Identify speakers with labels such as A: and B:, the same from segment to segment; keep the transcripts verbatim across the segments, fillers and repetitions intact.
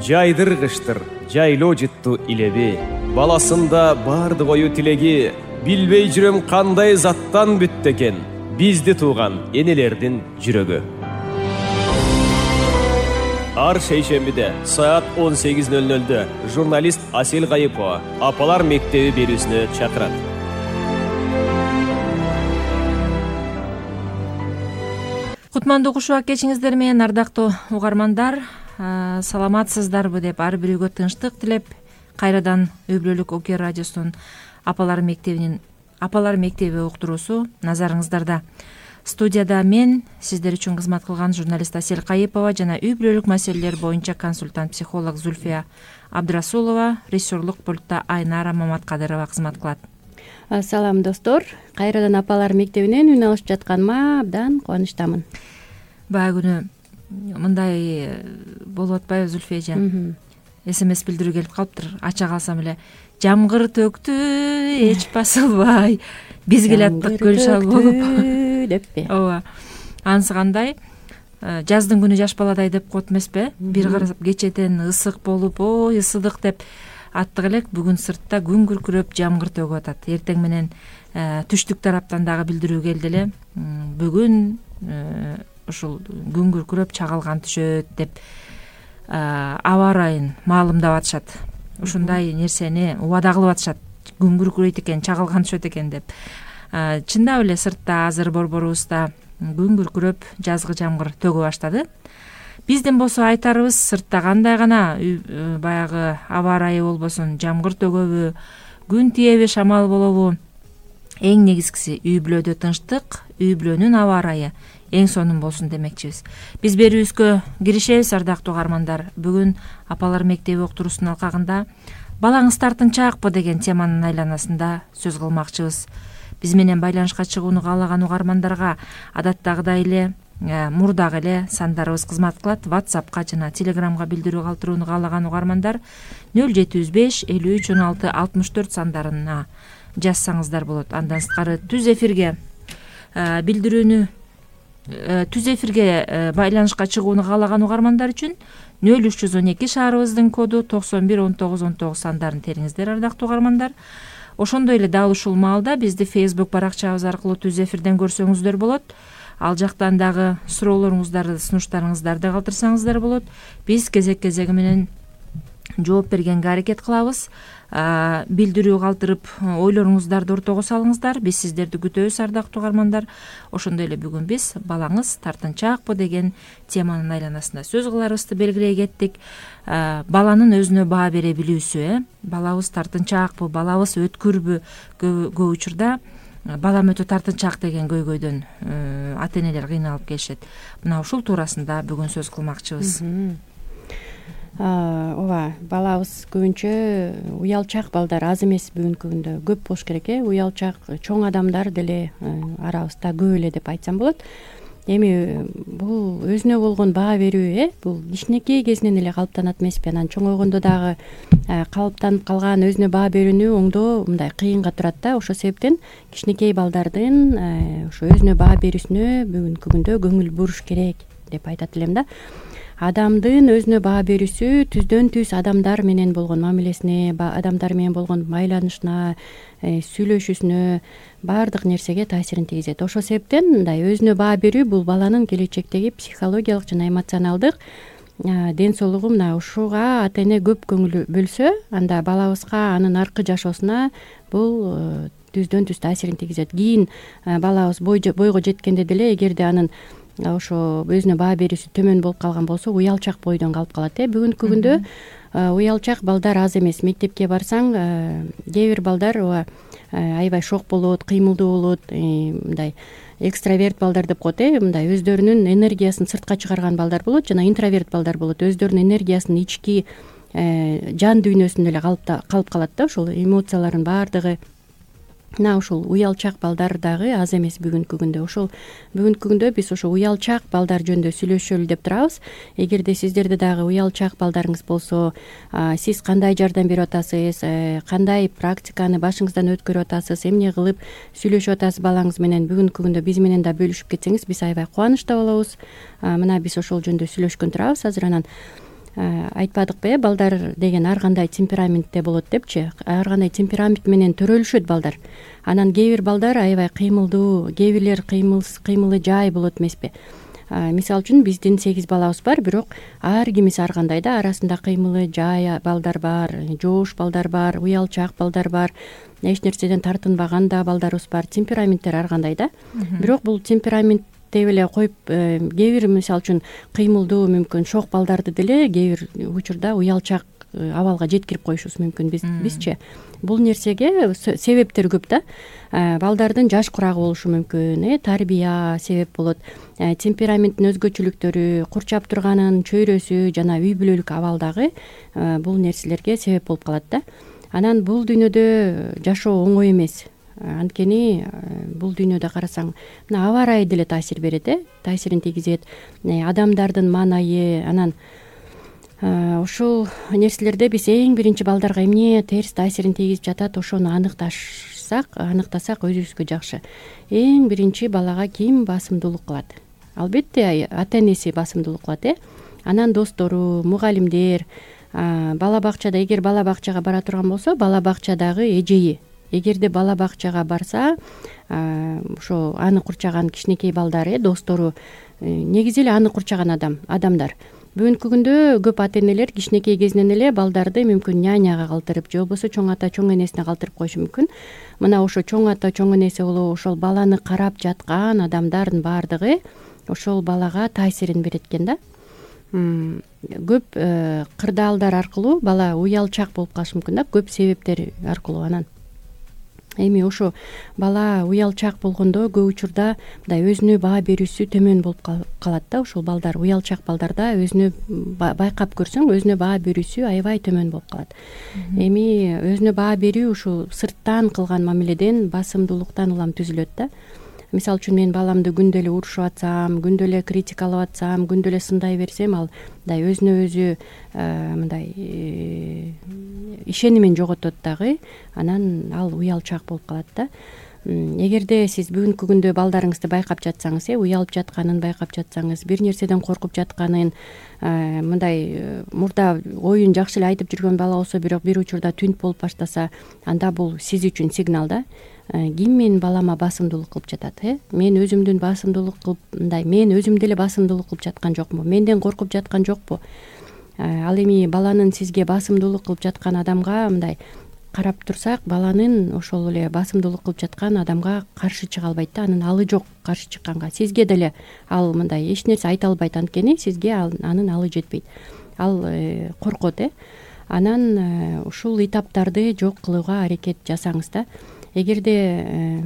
A: жайдыргычтыр жайлоо жытту илеби. Баласында бардык ою тилеги, билбей жүрөм кандай заттан бүттү экен бизди тууган энелердин жүрөгү. Ар шейшембиде саат он сегиз ноль нольдө журналист Асель Кайыпова Апалар мектеби берүүсүнө чакырат.
B: Кутмандуу кушубак кечиңиздер менен, ардактуу угармандар. Саламатсыздарбы деп ар бирөөгө тынчтык тилеп, кайрадан Үй Бүлөлүк Оке радиосунун Апалар мектебинин Апалар мектеби уктуруусу назарыңыздарда. Студияда мен, сиздер үчүн кызмат кылган журналист Асель Кайыпова жана үй бүлөлүк маселелер боюнча консультант психолог Зульфия Абдрасулова, режиссерлук пультта Айнара Маматкадырова кызмат кылат.
C: Салам достор, кайрадан Апалар мектебинен үн алышып жатканыма абдан кубанычтамын.
B: Баягы күнү мындай болуп атпайбы Зульфия эже? СМС билдирүү келип калыптыр. Ача калсам эле жамгыр төктү, эч басылбай, биз келаттык көл шал болуп
C: деппи?
B: Ооба. Анысы кандай? Жаздын күнү жаш баладай деп коет эмеспи? Бир карасап кечетен ысык болуп, ой ысыдык деп аттык элек. Бүгүн сыртта күн күркүрөп жамгыр төгүп атат. Эртең менен түштүк тараптан дагы билдирүү келди эле. Бүгүн ушул күн күркүрөп чагылган түшөт деп аба ырайын маалымдап атышат. Ушундай нерсени убада кылып атышат. Күн күркүрөйт экен, чагылган түшөт экен деп. Чындап эле сыртта азыр борборубузда күн күркүрөп жазгы жамгыр төгө баштады. Биздин болсо айтарыбыз, сыртта кандай гана баягы аба ырайы болбосун, жамгыр төгөбү, күн тиеби, шамал болобу, эң негизгиси үй бүлөдө тынчтык, үй бүлөнүн аба ырайы эң сонун болсун демекчибиз. Биз берүүбүзгө киришебиз, ардактуу угармандар. Бүгүн Апалар мектеби уктуруусунун алкагында балаңыз тартынчаакпы деген теманын айланасында сөз кылмакчыбыз. Биз менен байланышка чыгууну каалаган угармандарга адаттагыдай эле, мурдагы эле сандарыбыз кызмат кылат. WhatsAppка жана Telegramга билдирүү калтырууну каалаган угармандар нөл жети жүз беш элүү үч он алты алтымыш төрт сандарына жазсаңыздар болот. Андан сырткары түз эфирге билдирүүнү түз эфирге байланышка чыгууну каалаган угармандар үчүн нөл үч жүз он эки шаарыбыздын коду токсон бир он тогуз он тогуз сандарын териңиздер, ардактуу угармандар. Ошондой эле дал ушул маалда бизди Facebook баракчабыз аркылуу түз эфирден көрсөңүздөр болот. Ал жактан дагы суроолоруңуздарды, сунуштарыңыздарды калтырсаңыздар болот. Биз кезек-кезеги менен жооп бергенге аракет кылабыз. Билдирүү калтырып, ойлоруңуздарды ортого салыңыздар. Биз сиздерди күтөбүз, ардактуу угармандар. Ошондой эле бүгүн биз балаңыз тартынчаакпы деген теманын айланасында сөз кыларыбызды белгилей кеттик. Баланын өзүнө баа бере билүүсү, э? Балабыз тартынчаакпы, балабыз өткүрбү? Көп учурда балам өтө тартынчаак деген көйгөйдөн ата энелер кыйналып келишет. Мына ушул туурасында бүгүн сөз кылмакчыбыз.
C: Ооба, балабыз көбүнчө уялчаак балдар аз эмес, бүгүнкү күндө көп болуш керек, э? Уялчаак чоң адамдар деле арабызда көп эле деп айтсам болот. Эми бул өзүнө болгон баа берүү, э? Бул кичинекей кезинен эле калыптанат эмеспи? Анан чоңойгондо дагы калыптанып калган өзүнө баа берүүнү оңдоо мындай кыйынга турат да. Ошол себептен кичинекей балдардын ошо өзүнө баа берүүсүнө бүгүнкү күндө көңүл буруш керек деп айтат элем да. Адамдын өзүнө баа берүүсү түздөн түз адамдар менен болгон мамилесине, адамдар менен болгон байланышына, сүйлөшүүсүнө, баардык нерсеге таасирин тийгизет. Ошол себептен мындай өзүнө баа берүү бул баланын келечектеги психологиялык жана эмоционалдык ден соолугу. Мына ушуга ата эне көп көңүл бөлсө, анда балабызга анын аркы жашоосуна бул түздөн түз таасирин тийгизет. Кийин балабыз бойго жеткенде деле эгерде анын ошо өзүнө баа берүүсү төмөн болуп калган болсо, уялчаак бойдон калып калат, э? Бүгүнкү күндө уялчаак балдар аз эмес. Мектепке барсаң, кээ бир балдар ооба аябай шок болот, кыймылдуу болот, мындай экстраверт балдар деп коет, э? Мындай өздөрүнүн энергиясын сыртка чыгарган балдар болот, жана интроверт балдар болот. Өздөрүнүн энергиясын ички жан дүйнөсүндө эле калып калат да, ошол эмоциялардын баардыгы. Мына ушул уялчаак балдар дагы аз эмес бүгүнкү күндө. Ошол бүгүнкү күндө биз ошо уялчаак балдар жөнүндө сүйлөшөлү деп турабыз. Эгерде сиздерде дагы уялчаак балдарыңыз болсо, сиз кандай жардам берип атасыз, кандай практиканы башыңыздан өткөрүп атасыз, эмне кылып сүйлөшүп атасыз балаңыз менен, бүгүнкү күндө биз менен да бөлүшүп кетсеңиз, биз аябай кубанычта болобуз. Мына биз ошол жөнүндө сүйлөшкөн турабыз азыр. Анан айтпадыкпы э балдар деген ар кандай темпераментте болот депчи, ар кандай темперамент менен төрөлүшөт балдар. Анан кээ бир балдар аябай кыймылдуу, кээ бирлер кыймылы жай болот эмеспи. Мисалы үчүн биздин сегиз балабыз бар, бирок ар кимиси ар кандай да, арасында кыймылы жай балдар бар, жоош балдар бар, уялчаак балдар бар, эч нерседен тартынбаган да балдарыбыз бар. Темпераменттер ар кандай да. Бирок бул темперамент деп эле коюп, кээ бир мисалы үчүн кыймылдуу, мүмкүн шок балдарды деле кээ бир учурда уялчаак абалга жеткирип коюшубуз мүмкүн бизчи. Бул нерсеге себептер көп да. Балдардын жаш курагы болушу мүмкүн, э тарбия себеп болот. Темпераменттин өзгөчөлүктөрү, курчап турганын чөйрөсү жана үй бүлөлүк абал дагы бул нерселерге себеп болуп калат да. Анан бул дүйнөдө жашоо оңой эмес. Анткени бул дүйнөдө карасаң, мына аба ырайы деле таасир берет, э таасирин тийгизет. Адамдардын маанайы, анан ушул нерселерде биз эң биринчи балдарга эмне терс таасирин тийгизип жатат, ошону аныктасак, аныктасак өзүбүзгө жакшы. Эң биринчи балага ким басымдуулук кылат? Албетте ата энеси басымдуулук кылат, э анан достору, мугалимдер, бала бакчада, эгер бала бакчага бара турган болсо, бала бакчадагы эжеи. Эгерде бала бакчага барса, ошо аны курчаган кичинекей балдар, э достору, негизи эле аны курчаган адам, адамдар. Бүгүнкү күндө көп ата энелер кичинекей кезинен эле балдарды мүмкүн няняга калтырып, же болбосо чоң ата, чоң энесине калтырып коюшу мүмкүн. Мына ошо чоң ата, чоң энеси болобу, ошол баланы карап жаткан адамдардын баардыгы ошол балага таасирин берет экен да. Көп кырдаалдар аркылуу бала уялчаак болуп калышы мүмкүн да, көп себептер аркылуу. Анан эми ошо бала уялчаак болгондо көп учурда мындай өзүнө баа берүүсү төмөн болуп калат да. Ушул балдар, уялчаак балдарда өзүнө байкап көрсөң, өзүнө баа берүүсү аябай төмөн болуп калат. Эми өзүнө баа берүү ушул сырттан кылган мамиледен, басымдуулуктан улам түзүлөт да. Мисалы үчүн мен баламды күндө эле урушуп атсам, күндө эле критикалап атсам, күндө эле сындай берсем, ал мындай өзүнө өзү мындай ишенимин жоготот дагы. Анан ал уялчаак болуп калат да. Эгерде сиз бүгүнкү күндө балдарыңызды байкап жатсаңыз, э уялып жатканын байкап жатсаңыз, бир нерседен коркуп жатканын, мындай мурда оюн жакшы эле айтып жүргөн бала болсо, бирок бир учурда түнт болуп баштаса, анда бул сиз үчүн сигнал да. Ким менин балама басымдуулук кылып жатат, э мен өзүмдүн басымдуулук кылып, мындай мен өзүм деле басымдуулук кылып жаткан жокмун, менден коркуп жаткан жокпу? Ал эми баланын сизге басымдуулук кылып жаткан адамга мындай карап турсак, баланын ошол эле басымдуулук кылып жаткан адамга каршы чыга албайт да. Анын алы жок каршы чыкканга. Сизге деле ал мындай эч нерсе айта албайт, анткени сизге анын алы жетпейт. Ал коркот, э анан ушул этаптарды жок кылууга аракет жасаңыз да. Эгерде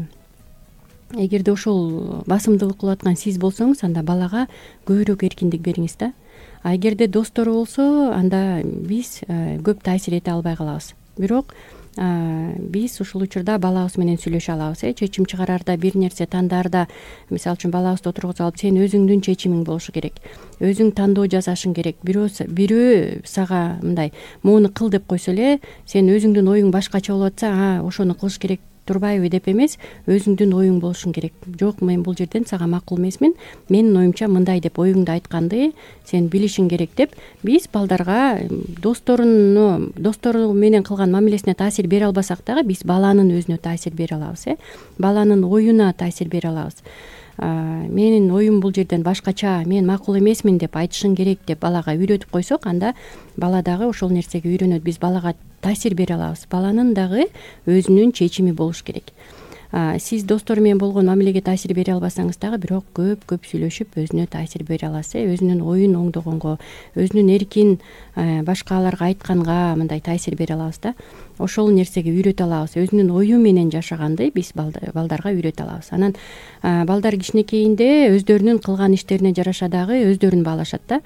C: эгерде ушул басымдуулук кылып аткан сиз болсоңуз, анда балага көбүрөөк эркиндик бериңиз да. А эгерде достору болсо, анда биз көп таасир эте албай калабыз. Бирок биз ушул учурда балабыз менен сүйлөшө алабыз, э чечим чыгараарда, бир нерсе тандаарда, мисалы үчүн балабызды отургузуп алып, сен өзүңдүн чечимиң болушу керек, өзүң тандоо жасашың керек. Бирөө бирөө сага мындай моуну кыл деп койсо эле, сен өзүңдүн оюң башкача болуп атса, а ошону кылыш керек турбайбы деп эмес, өзүңдүн оюң болушуң керек. Жок, мен бул жерден сага макул эмесмин, менин оюмча мындай деп оюңду айтканды сен билишиң керек деп, биз балдарга досторуну достору менен кылган мамилесине таасир бере албасак дагы, биз баланын өзүнө таасир бере алабыз, э баланын оюна таасир бере алабыз. Менин оюм бул жерден башкача, мен макул эмесмин деп айтышың керек деп балага үйрөтүп койсок, анда бала дагы ошол нерсеге үйрөнөт. Биз балага таасир бере алабыз. Баланын дагы өзүнүн чечими болуш керек. Сиз достору менен болгон мамилеге таасир бере албасаңыз дагы, бирок көп-көп сүйлөшүп өзүнө таасир бере аласыз, э өзүнүн оюн оңдогонго, өзүнүн эркин башкаларга айтканга мындай таасир бере алабыз да. Ошол нерсеге үйрөтө алабыз. Өзүнүн ою менен жашаганды биз балдарга үйрөтө алабыз. Анан балдар кичинекейинде өздөрүнүн кылган иштерине жараша дагы өздөрүн баалашат да.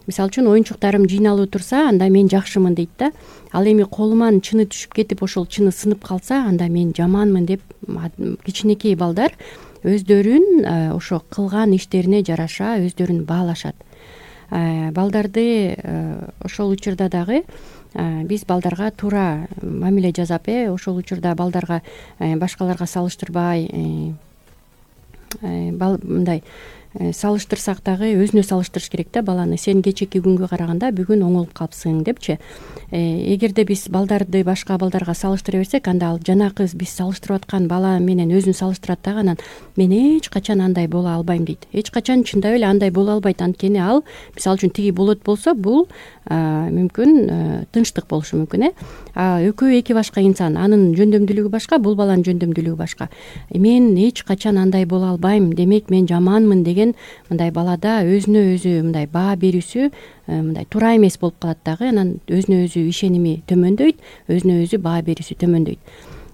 C: Мисалы үчүн оюнчуктарым жыйналуу турса, анда мен жакшымын дейт да. Ал эми колуман чыны түшүп кетип, ошол чыны сынып калса, анда мен жаманмын деп кичинекей балдар өздөрүн ошо кылган иштерине жараша өздөрүн баалашат. Балдарды ошол учурда дагы биз балдарга туура мамиле жасап, э ошол учурда балдарга башкаларга салыштырбай, мындай салыштырсак дагы өзүнө салыштырыш керек да баланы. Сен кечээки күнгө караганда бүгүн оңолуп калыпсың депчи. Эгерде биз балдарды башка балдарга салыштыра берсек, анда ал жанакы биз салыштырып аткан бала менен өзүн салыштырат дагы, анан мен эч качан андай боло албайм дейт. Эч качан чындап эле андай боло албайт. Анткени ал мисалы үчүн тиги болот болсо, бул мүмкүн тынчтык болушу мүмкүн, э а экөө эки башка инсан, анын жөндөмдүүлүгү башка, бул баланын жөндөмдүүлүгү башка. Мен эч качан андай боло албайм, демек мен жаманмын деген мындай балада өзүнө өзү мындай баа берүүсү мындай туура эмес болуп калат дагы. Анан өзүнө өзү ишеними төмөндөйт, өзүнө өзү баа берүүсү төмөндөйт.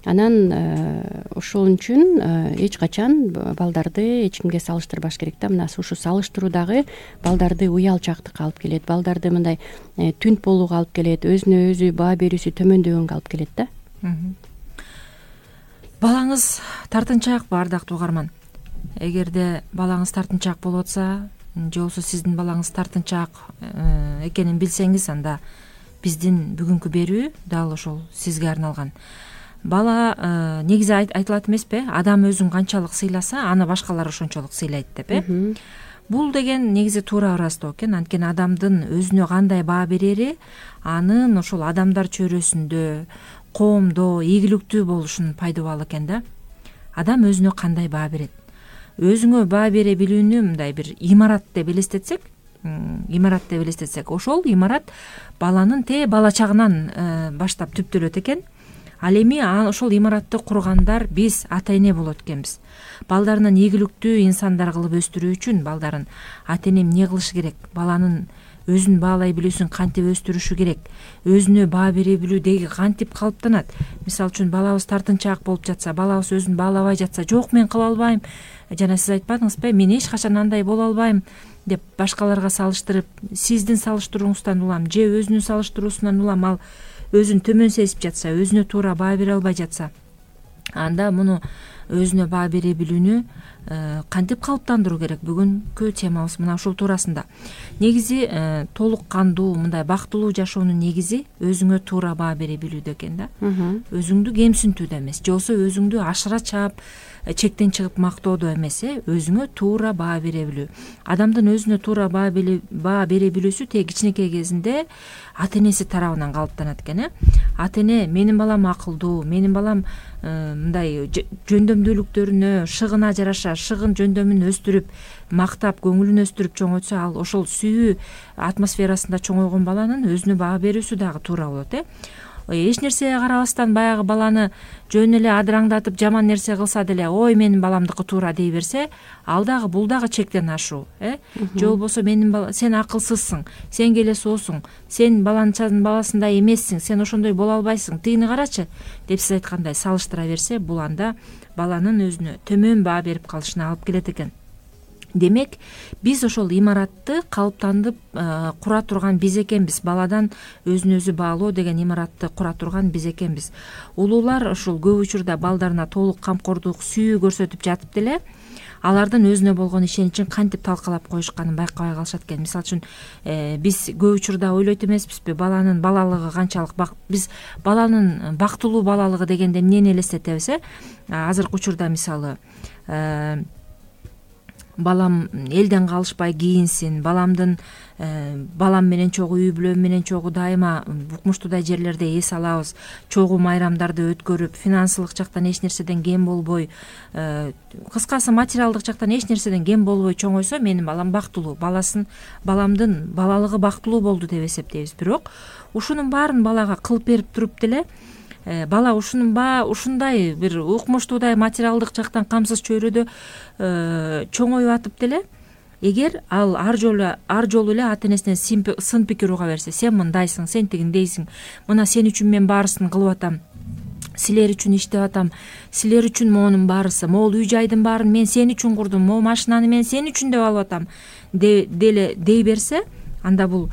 C: Анан ошол үчүн эч качан балдарды эч кимге салыштырбаш керек да. Мына ушу салыштыруу дагы балдарды уялчаактыкка алып келет, балдарды мындай түнт болууга алып келет, өзүнө өзү баа берүүсү төмөндөгөнгө алып келет да.
B: Балаңыз тартынчаак, бардактуу угарман. Эгерде балаңыз тартынчаак болуп атса, же болбосо сиздин балаңыз тартынчаак экенин билсеңиз, анда биздин бүгүнкү берүү дал ошол сизге арналган. Бала негизи айтылат эмеспи, адам өзүн канчалык сыйласа, аны башкалар ошончолук сыйлайт деп, э бул деген негизи туура ырастоо экен. Анткени адамдын өзүнө кандай баа берери анын ошол адамдар чөйрөсүндө, коомдо ийгиликтүү болушунун пайдубалы экен да. Адам өзүнө кандай баа берет, өзүңө баа бере билүүнү мындай бир имарат деп элестетсек, имарат деп элестетсек, ошол имарат баланын те бала чагынан баштап түптөлөт экен. Ал эми ошол имаратты кургандар биз ата эне болот экенбиз. Балдарынан ийгиликтүү инсандар кылып өстүрүү үчүн балдарын ата эне эмне кылышы керек? Баланын өзүн баалай билүүсүн кантип өстүрүшү керек? Өзүнө баа бере билүү деги кантип калыптанат? Мисалы үчүн балабыз тартынчаак болуп жатса, балабыз өзүн баалабай жатса, жок мен кыла албайм, жана сиз айтпадыңызбы, мен эч качан андай боло албайм деп башкаларга салыштырып, сиздин салыштырууңуздан улам же өзүнүн салыштыруусунан улам ал өзүн төмөн сезип жатса, өзүнө туура баа бере албай жатса, анда муну өзүнө баа бере билүүнү кантип калыптандыруу керек? Бүгүнкү темабыз мына ушул туурасында. Негизи толук кандуу, мындай бактылуу жашоонун негизи өзүңө туура баа бере билүүдө экен да. Өзүңдү кемсинтүүдө эмес, же болбосо өзүңдү ашыра чаап чектен чыгып мактоодо эмес, э өзүңө туура баа бере билүү. Адамдын өзүнө туура баа бере билүүсү тээ кичинекей кезинде ата энеси тарабынан калыптанат экен, э ата эне менин балам акылдуу, менин балам мындай жөндөмдүүлүктөрүнө, шыгына жараша шыгын жөндөмүн өстүрүп, мактап, көңүлүн өстүрүп чоңойтсо, ал ошол сүйүү атмосферасында чоңойгон баланын өзүнө баа берүүсү дагы туура болот, э эч нерсеге карабастан баягы баланы жөн эле адыраңдатып жаман нерсе кылса деле, ой менин баламдыкы туура дей берсе, ал дагы бул дагы чектен ашуу, э же болбосо менин бала сен акылсызсың, сен келесоосуң, сен баланчанын баласындай эмессиң, сен ошондой боло албайсың, тигини карачы деп сиз айткандай салыштыра берсе, бул анда баланын өзүнө төмөн баа берип калышына алып келет экен. Демек, биз ошол имаратты калыптандып кура турган биз экенбиз. Баладан өзүн өзү баалоо деген имаратты кура турган биз экенбиз. Улуулар ушул көп учурда балдарына толук камкордук, сүйүү көрсөтүп жатып деле, алардын өзүнө болгон ишеничин кантип талкалап коюшканын байкабай калышат экен. Мисалы үчүн биз көп учурда ойлойт эмеспизби, баланын балалыгы канчалык биз баланын бактылуу балалыгы дегенде эмнени элестетебиз, э азыркы учурда мисалы балам элден калышпай кийинсин, баламдын балам менен чогуу, үй бүлөм менен чогуу дайыма укмуштуудай жерлерде эс алабыз, чогуу майрамдарды өткөрүп, финансылык жактан эч нерседен кем болбой, кыскасы материалдык жактан эч нерседен кем болбой чоңойсо, менин балам бактылуу, баласын баламдын балалыгы бактылуу болду деп эсептейбиз. Бирок ушунун баарын балага кылып берип туруп деле, бала ушунун баа ушундай бир укмуштуудай материалдык жактан камсыз чөйрөдө чоңоюп атып деле, эгер ал ар жолу ар жолу эле ата энесинен сын пикир уга берсе, сен мындайсың, сен тигиндейсиң, мына сен үчүн мен баарысын кылып атам, силер үчүн иштеп атам, силер үчүн моунун баарысы, могул үй жайдын баарын мен сен үчүн курдум, могу машинаны мен сен үчүн деп алып атам деле дей берсе, анда бул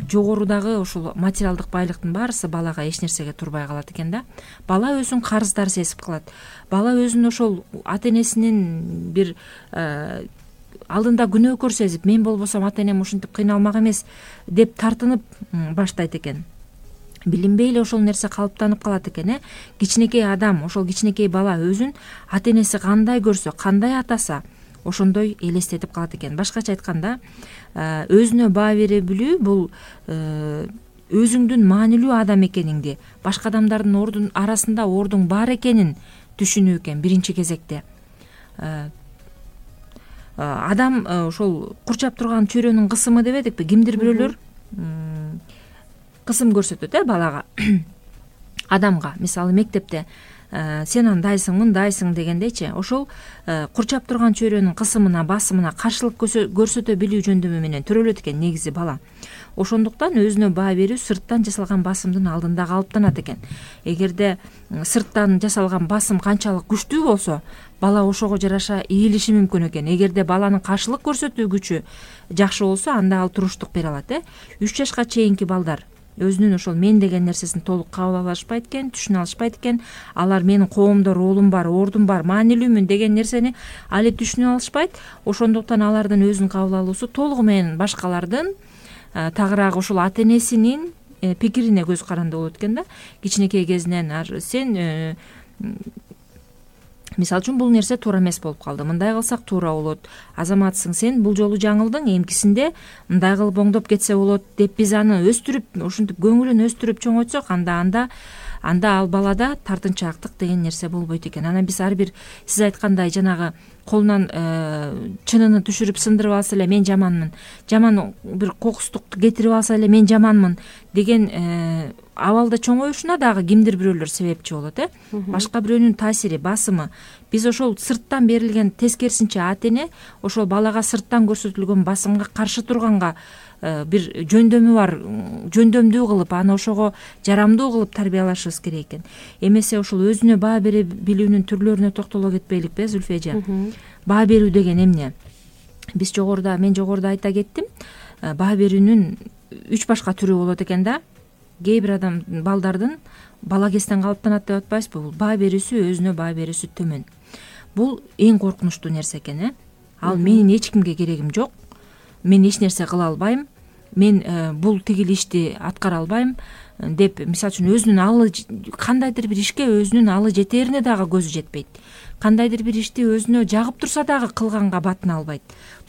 B: жогорудагы ушул материалдык байлыктын баарысы балага эч нерсеге турбай калат экен да. Бала өзүн карыздар сезип калат. Бала өзүн ошол ата энесинин бир алдында күнөөкөр сезип, мен болбосом ата энем ушинтип кыйналмак эмес деп тартынып баштайт экен. Билинбей эле ошол нерсе калыптанып калат экен, э кичинекей адам, ошол кичинекей бала өзүн ата энеси кандай көрсө, кандай атаса, ошондой элестетип калат экен. Башкача айтканда, өзүнө баа бере билүү бул өзүңдүн маанилүү адам экениңди, башка адамдардын ордун арасында ордуң бар экенин түшүнүү экен биринчи кезекте. Адам ошол курчап турган чөйрөнүн кысымы дебедикпи? Кимдир бирөөлөр кысым көрсөтөт э балага, адамга. Мисалы мектепте сен андайсың, мындайсың дегендейчи, ошол курчап турган чөйрөнүн кысымына, басымына каршылык көрсөтө билүү жөндөмү менен төрөлөт экен негизи бала. Ошондуктан өзүнө баа берүү сырттан жасалган басымдын алдында калыптанат экен. Эгерде сырттан жасалган басым канчалык күчтүү болсо, бала ошого жараша ийилиши мүмкүн экен. Эгерде баланын каршылык көрсөтүү күчү жакшы болсо, анда ал туруштук бере алат э. үч жашка чейинки балдар өзүнүн ошол мен деген нерсесин толук кабыл ала алышпайт экен, түшүнө алышпайт экен. Алар менин коомдо ролум бар, ордум бар, маанилүүмүн деген нерсени али түшүнө алышпайт. Ошондуктан алардын өзүн кабыл алуусу толугу менен башкалардын, тагыраак ошол ата энесинин пикирине көз каранды болот экен да. Кичинекей кезинен сен мисалы үчүн бул нерсе туура эмес болуп калды, мындай кылсак туура болот, азаматсың сен, бул жолу жаңылдың, эмкисинде мындай кылып оңдоп кетсе болот деп биз аны өстүрүп, ушинтип көңүлүн өстүрүп чоңойтсок, анда анда анда ал балада тартынчаактык деген нерсе болбойт экен. Анан биз ар бир сиз айткандай жанагы колунан чынын түшүрүп сындырып алса эле мен жаманмын, жаман бир кокустукту кетирип алса эле мен жаманмын деген абалда чоңоюшуна дагы кимдир бирөөлөр себепчи болот э. Башка бирөөнүн таасири, басымы. Биз ошол сырттан берилген, тескерисинче ата эне ошол балага сырттан көрсөтүлгөн басымга каршы турганга бир жөндөмү бар, жөндөмдүү кылып, аны ошого жарамдуу кылып тарбиялашыбыз керек экен. Эмесе ошол өзүнө баа бере билүүнүн түрлөрүнө токтоло кетпейликпи, Зүлфия эже? Баа берүү деген эмне? Биз жогоруда, мен жогоруда айта кеттим. Баа берүүнүн үч башка түрү болот экен да. Кээ бир адам балдардын бала кезден калыптанат деп атпайбызбы? Бул баа берүүсү, өзүнө баа берүүсү төмөн. Бул эң коркунучтуу нерсе экен э. Ал менин эч кимге керегим жок. Мен эч нерсе кыла албайм. Мен бул тигил ишти аткара албайм деп, мисалы үчүн өзүнүн алы кандайдыр бир ишке өзүнүн алы жетерине дагы көзү жетпейт. Кандайдыр бир ишти өзүнө жагып турса дагы кылганга батына албайт.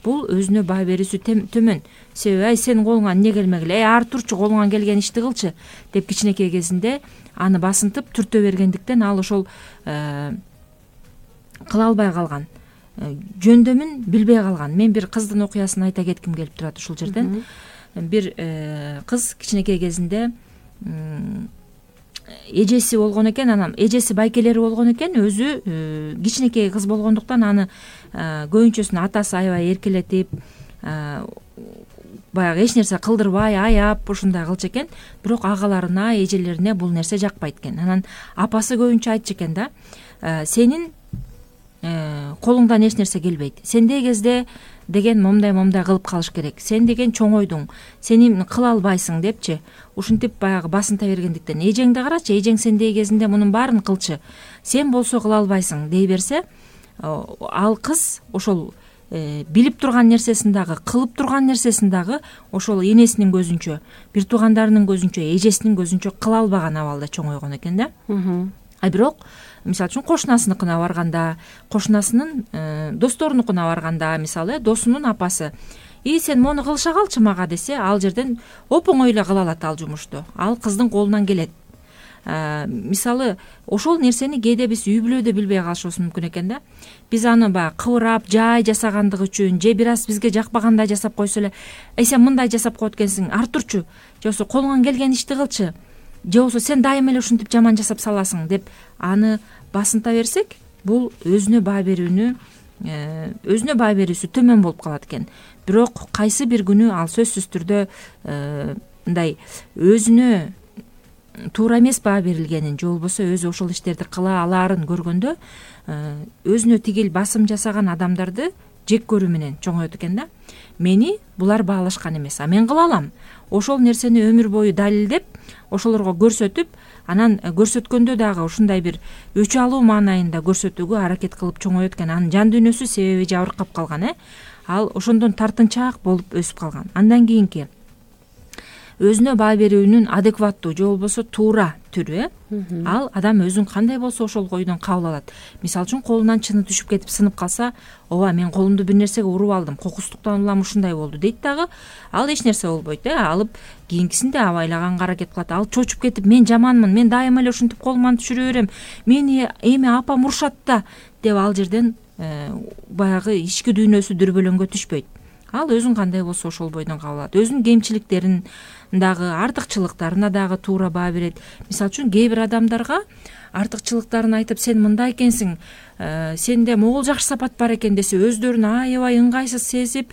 B: Бул өзүнө баа берүүсү төмөн. Себеби ай сенин колуңан эмне келмегиле, эй ары турчу, колуңан келген ишти кылчы деп кичинекей кезинде аны басынтып түртө бергендиктен ал ошол кыла албай калган, жөндөмүн билбей калган. Мен бир кыздын окуясын айта кетким келип турат ушул жерден. Бир кыз кичинекей кезинде эжеси болгон экен, анан эжеси байкелери болгон экен, өзү кичинекей кыз болгондуктан аны көбүнчөсүн атасы аябай эркелетип, баягы эч нерсе кылдырбай, аяп ушундай кылчу экен. Бирок агаларына, эжелерине бул нерсе жакпайт экен. Анан апасы көбүнчө айтчу экен да, сенин колуңдан эч нерсе келбейт. Сендей кезде деген момдай-момдай кылып калыш керек. Сен деген чоңойдуң, сени кыла албайсың депчи. Ушинтип баягы басынта бергендиктен эжеңди карачы, эжең сендей кезинде мунун баарын кылчы. Сен болсо кыла албайсың дей берсе, ал кыз ошол билип турган нерсесин дагы, кылып турган нерсесин дагы ошол энесинин көзүнчө, бир туугандарынын көзүнчө, эжесинин көзүнчө кыла албаган абалда чоңойгон экен да. А бирок мисалы үчүн кошунасыныкына барганда, кошунасынын досторунукуна барганда, мисалы досунун апасы и сен мону кылыша калчы мага десе, ал жерден оп оңой эле кыла алат ал жумушту. Ал кыздын колунан келет. Мисалы ошол нерсени кээде биз үй бүлөдө билбей калышыбыз мүмкүн экен да. Биз аны баягы кыбырап, жай жасагандыгы үчүн, же бир аз бизге жакпагандай жасап койсо эле, эй сен мындай жасап коет экенсиң, ары турчу, же болбосо колуңан келген ишти кылчы, же болбосо сен дайыма эле ушинтип жаман жасап саласың деп аны басынта берсек, бул өзүнө баа берүүнү, өзүнө баа берүүсү төмөн болуп калат экен. Бирок кайсы бир күнү ал сөзсүз түрдө мындай өзүнө туура эмес баа берилгенин, же болбосо өзү ошол иштерди кыла алаарын көргөндө өзүнө тигил басым жасаган адамдарды жек көрүү менен чоңойот экен да. Мени булар баалашкан эмес, а мен кыла алам. Ошол нерсени өмүр бою далилдеп, ошолорго көрсөтүп, анан көрсөткөндө дагы ушундай бир өч алуу маанайында көрсөтүүгө аракет кылып чоңойот экен. Анын жан дүйнөсү себеби жабыркап калган э. Ал ошондон тартынчаак болуп өсүп калган. Андан кийинки өзүнө баа берүүнүн адекваттуу же болбосо туура түрү э ал адам өзүн кандай болсо ошол бойдон кабыл алат. Мисалы үчүн колунан чыны түшүп кетип сынып калса, ооба мен колумду бир нерсеге уруп алдым, кокустуктан улам ушундай болду дейт дагы, ал эч нерсе болбойт э алып кийинкисинде абайлаганга аракет кылат. Ал чочуп кетип мен жаманмын, мен дайыма эле ушинтип колуман түшүрө берем, мени эми апам урушат да деп ал жерден баягы ички дүйнөсү дүрбөлөңгө түшпөйт. Ал өзүн кандай болсо ошол бойдон кабыл алат. Өзүнүн кемчиликтерин дагы, артыкчылыктарына дагы туура баа берет. Мисалы үчүн кээ бир адамдарга артыкчылыктарын айтып, сен мындай экенсиң, сенде могул жакшы сапат бар экен десе, өздөрүн аябай ыңгайсыз сезип,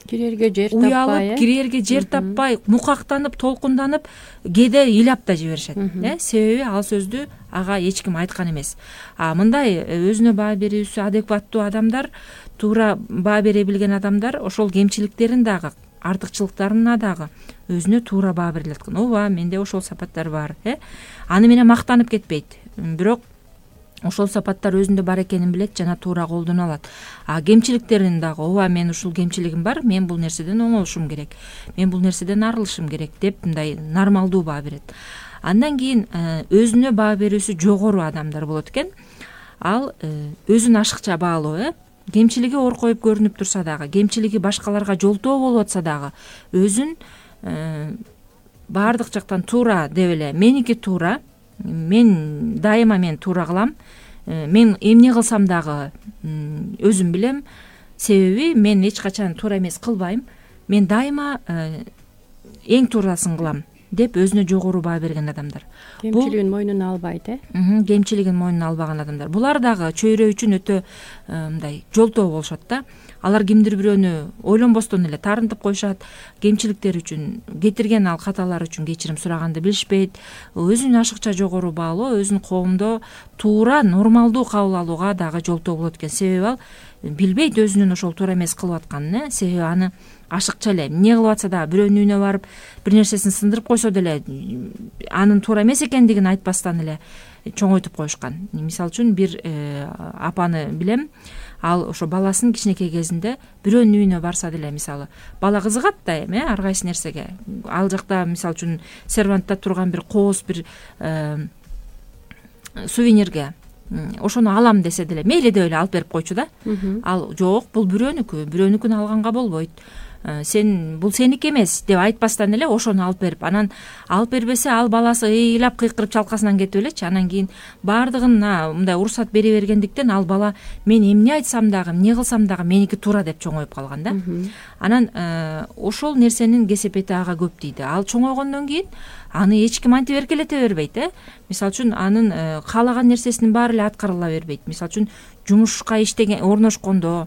C: кирерге жер таппай,
B: уялып, кирерге жер таппай, мукактанып, толкунданып, кээде ыйлап да жиберишет. Э, себеби ал сөздү ага эч ким айткан эмес. А мындай өзүнө баа берүүсү адекваттуу адамдар, туура баа бере билген адамдар ошол кемчиликтерин дагы, артыкчылыктарына дагы өзүнө туура баа бере алат. Ооба, менде ошол сапаттар бар, э. Аны менен мактанып кетпейт. Бирок ошол сапаттар өзүндө бар экенин билет жана туура колдоно алат. А кемчиликтерин дагы, ооба, мен ушул кемчилигим бар, мен бул нерседен оңолушум керек, мен бул нерседен арылышым керек деп мындай нормалдуу баа берет. Андан кийин өзүнө баа берүүсү жогору адамдар болот экен. Ал өзүн ашыкча баалоо, э. Кемчилиги ор коюп көрүнүп турса дагы, кемчилиги башкаларга жолтоо болуп атса дагы, өзүн баардык жактан туура деп эле, меники туура, мен дайыма мен туура кылам, мен эмне кылсам дагы өзүм билем, себеби мен эч качан туура эмес кылбайм, мен дайыма эң туурасын кылам деп өзүнө жогору баа берген адамдар.
C: Кемчилигин мойнуна албайт, э?
B: Кемчилигин мойнуна албаган адамдар. Булар дагы чөйрө үчүн өтө мындай жолтоо болушат да. Алар кимдир бирөөнү ойлонбостон эле тарынтып коюшат, кемчиликтер үчүн, кетирген ал каталар үчүн кечирим сураганды билишпейт. Өзүн ашыкча жогору баалоо өзүн коомдо туура, нормалдуу кабыл алууга дагы жолтоо болот экен. Себеби ал билбейт өзүнүн ошол туура эмес кылып атканын, э. Себеби аны ашыкча эле эмне кылып атса дагы, бирөөнүн үйүнө барып бир нерсесин сындырып койсо деле анын туура эмес экендигин айтпастан эле чоңойтуп коюшкан. Мисалы үчүн бир апаны билем, ал ошо баласын кичинекей кезинде бирөөнүн үйүнө барса деле, мисалы, бала кызыгат да эми ар кайсы нерсеге. Ал жакта мисалы үчүн сервантта турган бир кооз бир сувенирге ошону алам десе деле мейли деп эле алып берип койчу да. Ал жок, бул бирөөнүкү, бирөөнүкүн алганга болбойт, сен бул сеники эмес деп айтпастан эле ошону алып берип, анан алып бербесе ал баласы ыйлап кыйкырып чалкасынан кетип элечи, анан кийин баардыгына мындай уруксат бере бергендиктен ал бала мен эмне айтсам дагы, эмне кылсам дагы меники туура деп чоңоюп калган да. Анан ошол нерсенин кесепети ага көп дейди. Ал чоңойгондон кийин аны эч ким антип эркелете бербейт, э. Мисалы үчүн анын каалаган нерсесинин баары эле аткарыла бербейт. Мисалы үчүн жумушка иштеген, орношкондо,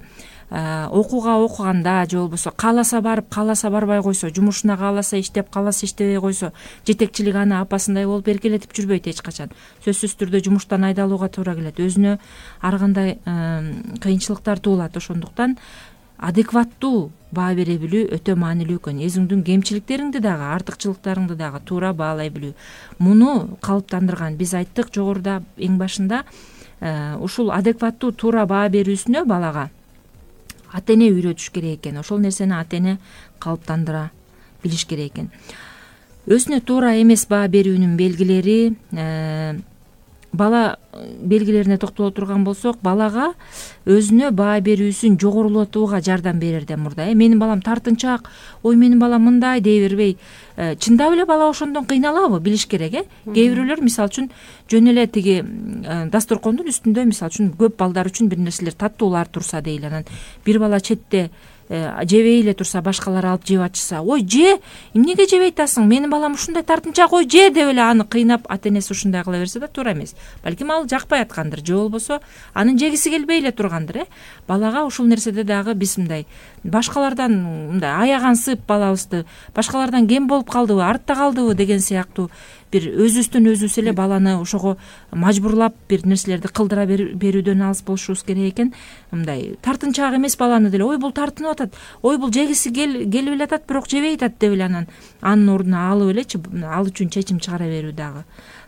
B: окууга окуганда же болбосо кааласа барып, кааласа барбай койсо, жумушуна кааласа иштеп, кааласа иштебей койсо, жетекчилик аны апасындай болуп эркелетип жүрбөйт эч качан. Сөзсүз түрдө жумуштан айдалууга туура келет. Өзүнө ар кандай кыйынчылыктар туулат. Ошондуктан адекваттуу баа бере билүү өтө маанилүү экен. Өзүңдүн кемчиликтериңди дагы, артыкчылыктарыңды дагы туура баалай билүү. Муну калыптандырган биз айттык жогоруда эң башында, ушул адекваттуу туура баа берүүсүнө балага ата эне үйрөтүш керек экен. Ошол нерсени ата эне калыптандыра билиш керек экен. Өзүнө туура эмес баа берүүнүн белгилери, бала белгилерине токтоло турган болсок, балага өзүнө баа берүүсүн жогорулатууга жардам берерден мурда, э, менин балам тартынчаак, ой менин балам мындай дей бербей, чындап эле бала ошондон кыйналабы билиш керек, э. Кээ бирөөлөр мисалы үчүн жөн эле тиги дасторкондун үстүндө мисалы үчүн көп балдар үчүн бир нерселер таттуулар турса дейли, анан бир бала четте жебей эле турса, башкалар алып жеп атышса, ой же, эмнеге жебей атасың, менин балам ушундай тартынчаак, ой же деп эле аны кыйнап ата энеси ушундай кыла берсе да туура эмес. Балким ал жакпай аткандыр, же болбосо анын жегиси келбей эле тургандыр, э. Балага ушул нерседе дагы биз мындай башкалардан мындай аягансып балабызды, башкалардан кем болуп калдыбы, артта калдыбы деген сыяктуу бир өзүбүздөн өзүбүз эле баланы ошого мажбурлап бир нерселерди кылдыра берүүдөн алыс болушубуз керек экен. Мындай тартынчаак эмес баланы деле, ой бул тартынып атат, ой бул жегиси келип эле атат, бирок жебей атат деп эле анан анын ордуна алып элечи, ал үчүн чечим чыгара берүү дагы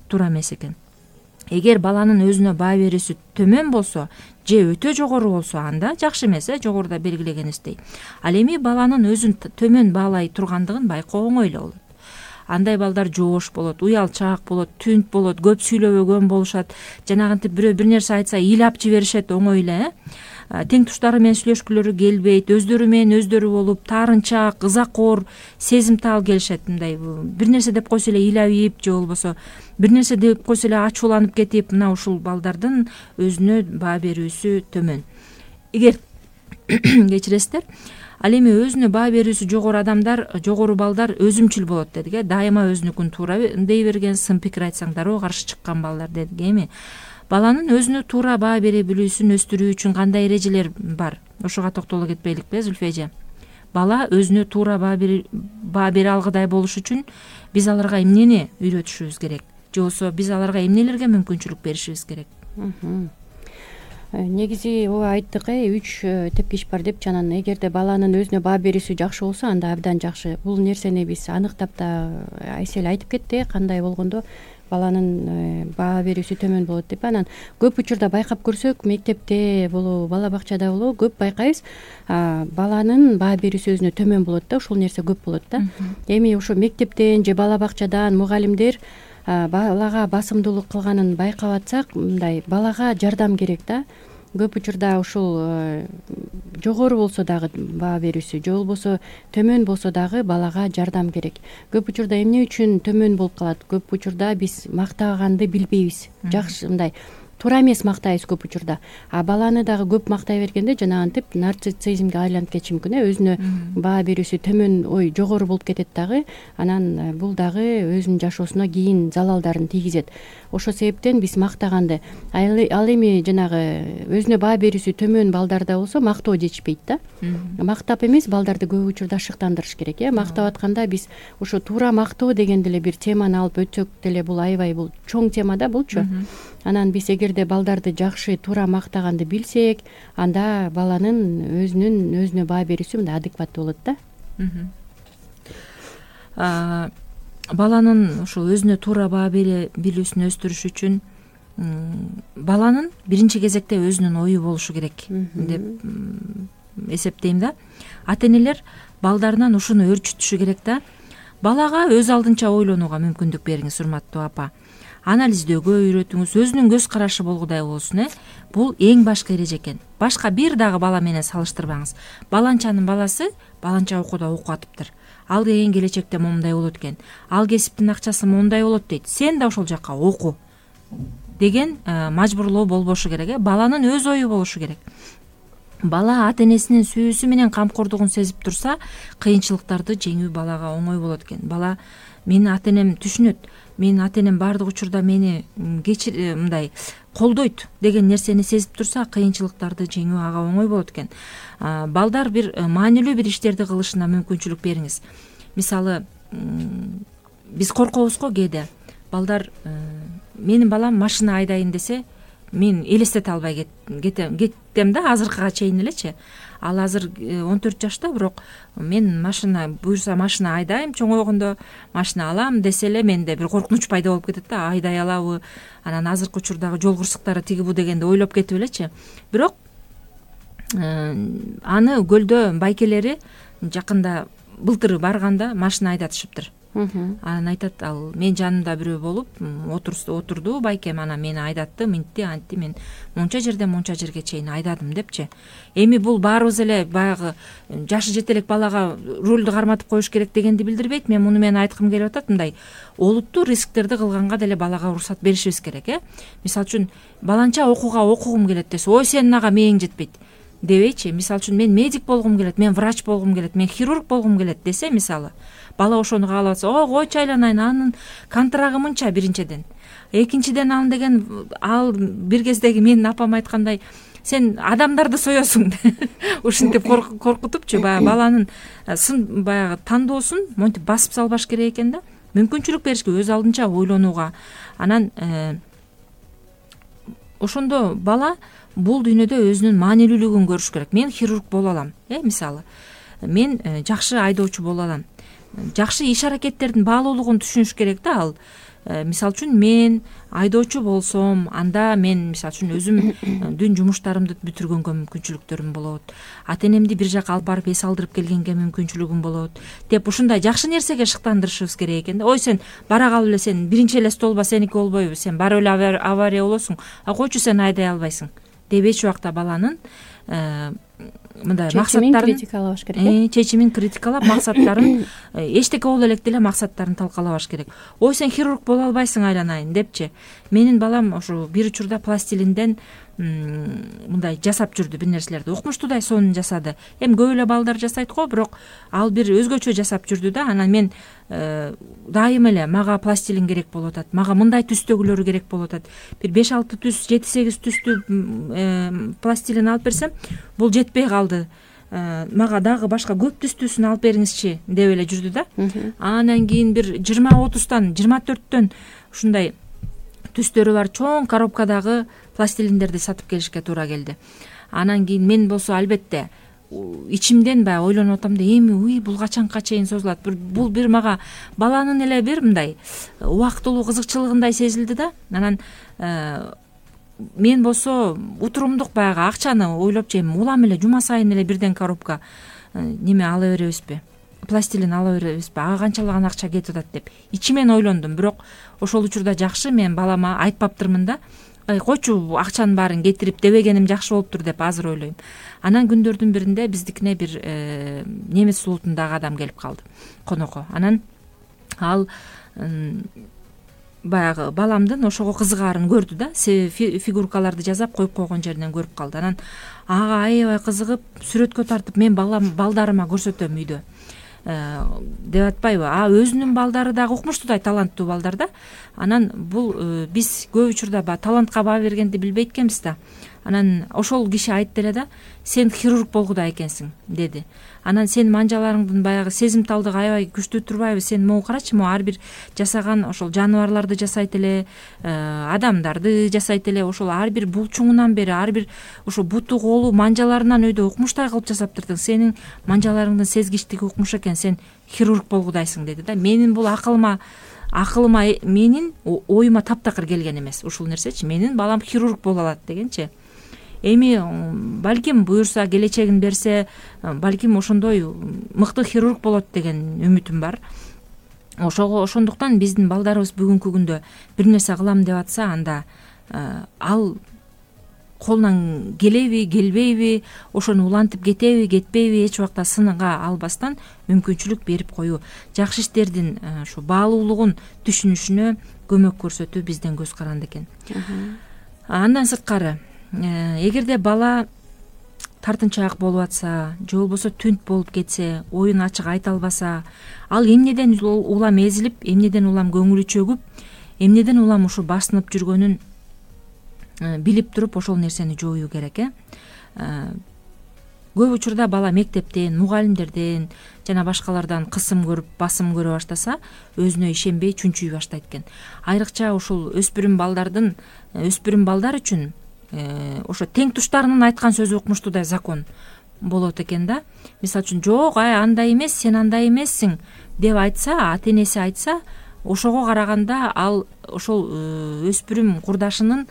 B: туура эмес экен. Эгер баланын өзүнө баа берүүсү төмөн болсо же өтө жогору болсо, анда жакшы эмес, э, жогоруда белгилегениздей. Ал эми баланын өзүн төмөн баалай тургандыгын байкоо оңой эле болот. андай балдар жоош болот, уялчаак болот, түнт болот, көп сүйлөбөгөн болушат, жанагынтип бирөө бир нерсе айтса ыйлап жиберишет оңой эле. Тең туштары менен сүйлөшкүлөрү келбейт, өздөрү менен өздөрү болуп таарынчаак, ызакор, сезимтал келишет. Мындай бир нерсе деп койсо эле ыйлап же болбосо бир нерсе деп койсо эле ачууланып кетип, мына ушул балдардын өзүнө баа берүүсү төмөн. Эгер кечиресиздер, ал эми өзүнө баа берүүсү жогору адамдар, жогору балдар өзүмчүл болот дедик э, дайыма өзүнүкүн туура дей берген, сын пикир айтсаң дароо каршы чыккан балдар дедик. Эми баланын өзүнө туура баа бере билүүсүн өстүрүү үчүн кандай эрежелер бар? Ошого токтоло кетпейликпи, Зүлфия эже? Бала өзүнө туура баа бере алгыдай болуш үчүн биз аларга эмнени үйрөтүшүбүз керек? Же болбосо биз аларга эмнелерге мүмкүнчүлүк беришибиз керек?
C: Негизи ооба айттык э, үч тепкич бар депчи. Анан эгерде баланын өзүнө баа берүүсү жакшы болсо, анда абдан жакшы. Бул нерсени биз аныктап да Айсель айтып кетти, кандай болгондо баланын баа берүүсү төмөн болот деп. Анан көп учурда байкап көрсөк, мектепте болобу, бала бакчада болобу, көп байкайбыз, баланын баа берүүсү өзүнө төмөн болот да, ушул нерсе көп болот да. Эми ошо мектептен же бала бакчадан мугалимдер балага басымдуулук кылганын байкап атсак, мындай балага жардам керек да. Көп учурда ушул жогору болсо дагы баа берүүсү, же болбосо төмөн болсо дагы балага жардам керек. Көп учурда эмне үчүн төмөн болуп калат? Көп учурда биз мактаганды билбейбиз. Жакшы мындай туура эмес мактайбыз көп учурда. А баланы дагы көп мактай бергенде жанагынтип нарциссизмге айланып кетиши мүмкүн э, өзүнө баа берүүсү төмөн, ой жогору болуп кетет дагы. Анан бул дагы өзүнүн жашоосуна кийин залалдарын тийгизет. Ошол себептен биз мактаганды, ал эми жанагы өзүнө баа берүүсү төмөн балдарда болсо мактоо жетишпейт да. Мактап эмес, балдарды көп учурда шыктандырыш керек э. Мактап атканда биз ошо туура мактоо деген деле бир теманы алып өтсөк деле, бул аябай бул чоң тема да булчу. Анан биз эгерде балдарды жакшы туура мактаганды билсек, анда баланын өзүнүн өзүнө баа берүүсү мындай адекваттуу болот да.
B: Баланын ушул өзүнө туура баа бере билүүсүн өстүрүш үчүн баланын биринчи кезекте өзүнүн ою болушу керек деп эсептейм да. Ата-энелер балдарынан ушуну өөрчүтүшү керек да. Балага өз алдынча ойлонууга мүмкүндүк бериңиз, урматтуу апа. Анализдөөгө үйрөтүңүз, өзүнүн көз карашы болгудай болсун э. Бул эң башкы эреже экен. Башка бир дагы бала менен салыштырбаңыз. Баланчанын баласы баланча окууда окуп атыптыр. Ал деген келечекте момундай болот экен. Ал кесиптин акчасы момундай болот дейт. Сен да ошол жакка оку деген мажбурлоо болбошу керек э. Баланын өз ою болушу керек. Бала ата-энесинин сүйүүсү менен камкордугун сезип турса, кыйынчылыктарды жеңүү балага оңой болот экен. Бала мени ата-энем түшүнөт, менин ата-энем баардык учурда мени кечир мындай колдойт деген нерсени сезип турса, кыйынчылыктарды жеңүү ага оңой болот экен. Балдар бир маанилүү бир иштерди кылышына мүмкүнчүлүк бериңиз. Мисалы, биз коркобуз го кээде. Балдар менин балам машина айдайын десе, мен элестете албай кетем кеттем да, азыркыга чейин элечи. Ал азыр он төрт жашта, бирок мен машина буюрса машина айдайм, чоңойгондо машина алам десе эле менде бир коркунуч пайда болуп кетет да, айдай алабы, анан азыркы учурдагы жол кырсыктары тиги бу дегенди ойлоп кетип элечи. Бирок аны көлдө байкелери жакында былтыр барганда машина айдатышыптыр. Анан айтат, ал мен жанымда бирөө болуп отурду байкем, анан мени айдатты, минтти, антти, мен монча жерден монча жерге чейин айдадым депчи. Эми бул баарыбыз эле баягы жашы жете элек балага рулду карматып коюш керек дегенди билдирбейт. Мен муну менен айткым келип атат, мындай олуттуу рисктерди кылганга деле балага уруксат беришибиз керек э. Мисалы үчүн баланча окууга окугум келет десе, ой сенин ага мээң жетпейт дебейчи. Мисалы үчүн мен медик болгум келет, мен врач болгум келет, мен хирург болгум келет десе, мисалы бала ошону каалап атса, о койчу айланайын, анын контрагы мынча биринчиден. Экинчиден ал деген, ал бир кездеги менин апам айткандай, сен адамдарды соесуң ушинтип коркутупчу, баягы баланын сын баягы тандоосун монтип басып салбаш керек экен да. Мүмкүнчүлүк беришке, өз алдынча ойлонууга. Анан ошондо бала бул дүйнөдө өзүнүн маанилүүлүгүн көрүш керек. Мен хирург боло алам, э, мисалы. Мен жакшы айдоочу боло алам. Жакшы иш аракеттердин баалуулугун түшүнүш керек да. Ал мисалы үчүн мен айдоочу болсом, анда мен мисалы үчүн өзүмдүн жумуштарымды бүтүргөнгө мүмкүнчүлүктөрүм болот, ата энемди бир жака алып барып эс алдырып келгенге мүмкүнчүлүгүм болот деп ушундай жакшы нерсеге шыктандырышыбыз керек экен да. Ой, сен бара калып эле, сен биринчи эле столба сеники болбойбу, сен барып эле авария болосуң, а койчу сен айдай албайсың деп эч убакта баланын мындай максаттарын
C: критикалабаш керек,
B: чечимин критикалап, максаттарын эчтеке боло электе эле максаттарын талкалабаш керек. Ой, сен хирург боло албайсың айланайын депчи. Менин балам ошо бир учурда пластилинден мындай жасап жүрдү, бир нерселерди укмуштуудай сонун жасады. Эми көп эле балдар жасайт го, бирок ал бир өзгөчө жасап жүрдү да. Анан мен дайым эле мага пластилин керек болуп атат, мага мындай түстөгүлөрү керек болуп атат. Бир беш алты түс, жети сегиз түстүү пластилин алып берсем, бул жетпей калды, мага дагы башка көп түстүүсүн алып бериңизчи деп эле жүрдү да. Анан кийин бир жыйырма отуздан, жыйырма төрттөн ушундай түстөрү бар чоң коробкадагы пластилиндерди сатып келишке туура келди. Анан кийин мен болсо албетте ичимден баягы ойлонуп атам да, эми уй бул качанга чейин созулат, бул бир мага баланын эле бир мындай убактылуу кызыкчылыгындай сезилди да. Анан мен болсо утурумдук баягы акчаны ойлопчу, эми улам эле жума сайын эле бирден коробка неме ала беребизби, пластилин ала беребизби, ага канчалаган акча кетип атат деп ичимен ойлондум. Бирок ошол учурда жакшы мен балама айтпаптырмын да, койчу акчанын баарын кетирип дебегеним жакшы болуптур деп азыр ойлойм. Анан күндөрдүн биринде биздикине бир немец улутундагы адам келип калды, конокко. Анан ал баягы баламдын ошого кызыгаарын көрдү да, фигуркаларды жасап коюп койгон жеринен көрүп калды. Анан ага аябай кызыгып, сүрөткө тартып, мен балам балдарыма көрсөтөм үйдө деп атпайбы, а өзүнүн балдары дагы укмуштуудай таланттуу балдар да. Анан бул биз көп учурда баягы талантка баа бергенди билбейт экенбиз да. Анан ошол киши айтты эле да, сен хирург болгудай экенсиң деди. Анан сенин манжаларыңдын баягы сезимталдыгы аябай күчтүү турбайбы, сен могу карачы, могу ар бир жасаган ошол жаныбарларды жасайт эле, адамдарды жасайт эле, ошол ар бир булчуңунан бери, ар бир ошо буту колу манжаларынан өйдө укмуштай кылып жасаптырдың. Сенин манжаларыңдын сезгичтиги укмуш экен, сен хирург болгудайсың деди да. Менин бул акылыма акылыма менин оюма таптакыр келген эмес ушул нерсечи. Менин балам хирург боло алат дегенчи. Эми балким буюрса, келечегин берсе, балким ошондой мыкты хирург болот деген үмүтүм бар. Ошого ошондуктан биздин балдарыбыз бүгүнкү күндө бир нерсе кылам деп атса, анда ал колунан келеби, келбейби, ошону улантып кетеби, кетпейби, эч убакта сынга албастан мүмкүнчүлүк берип коюу, жакшы иштердин ушу баалуулугун түшүнүшүнө көмөк көрсөтүү биздин көз каранды экен. Андан сырткары, эгерде бала тартынчаак болуп атса, же болбосо түнт болуп кетсе, оюн ачык айта албаса, ал эмнеден улам эзилип, эмнеден улам көңүлү чөгүп, эмнеден улам ушу басынып жүргөнүн билип туруп, ошол нерсени жоюу керек. э Көп учурда бала мектептен, мугалимдерден жана башкалардан кысым көрүп, басым көрө баштаса, өзүнө ишенбей чүнчүй баштайт экен. Айрыкча ушул өспүрүм балдардын, өспүрүм балдар үчүн ошо тең туштарынын айткан сөзү укмуштуудай закон болот экен да. Мисалы үчүн, жок, ай андай эмес, сен андай эмессиң деп айтса, ата энеси айтса, ошого караганда ал ошол өспүрүм курдашынын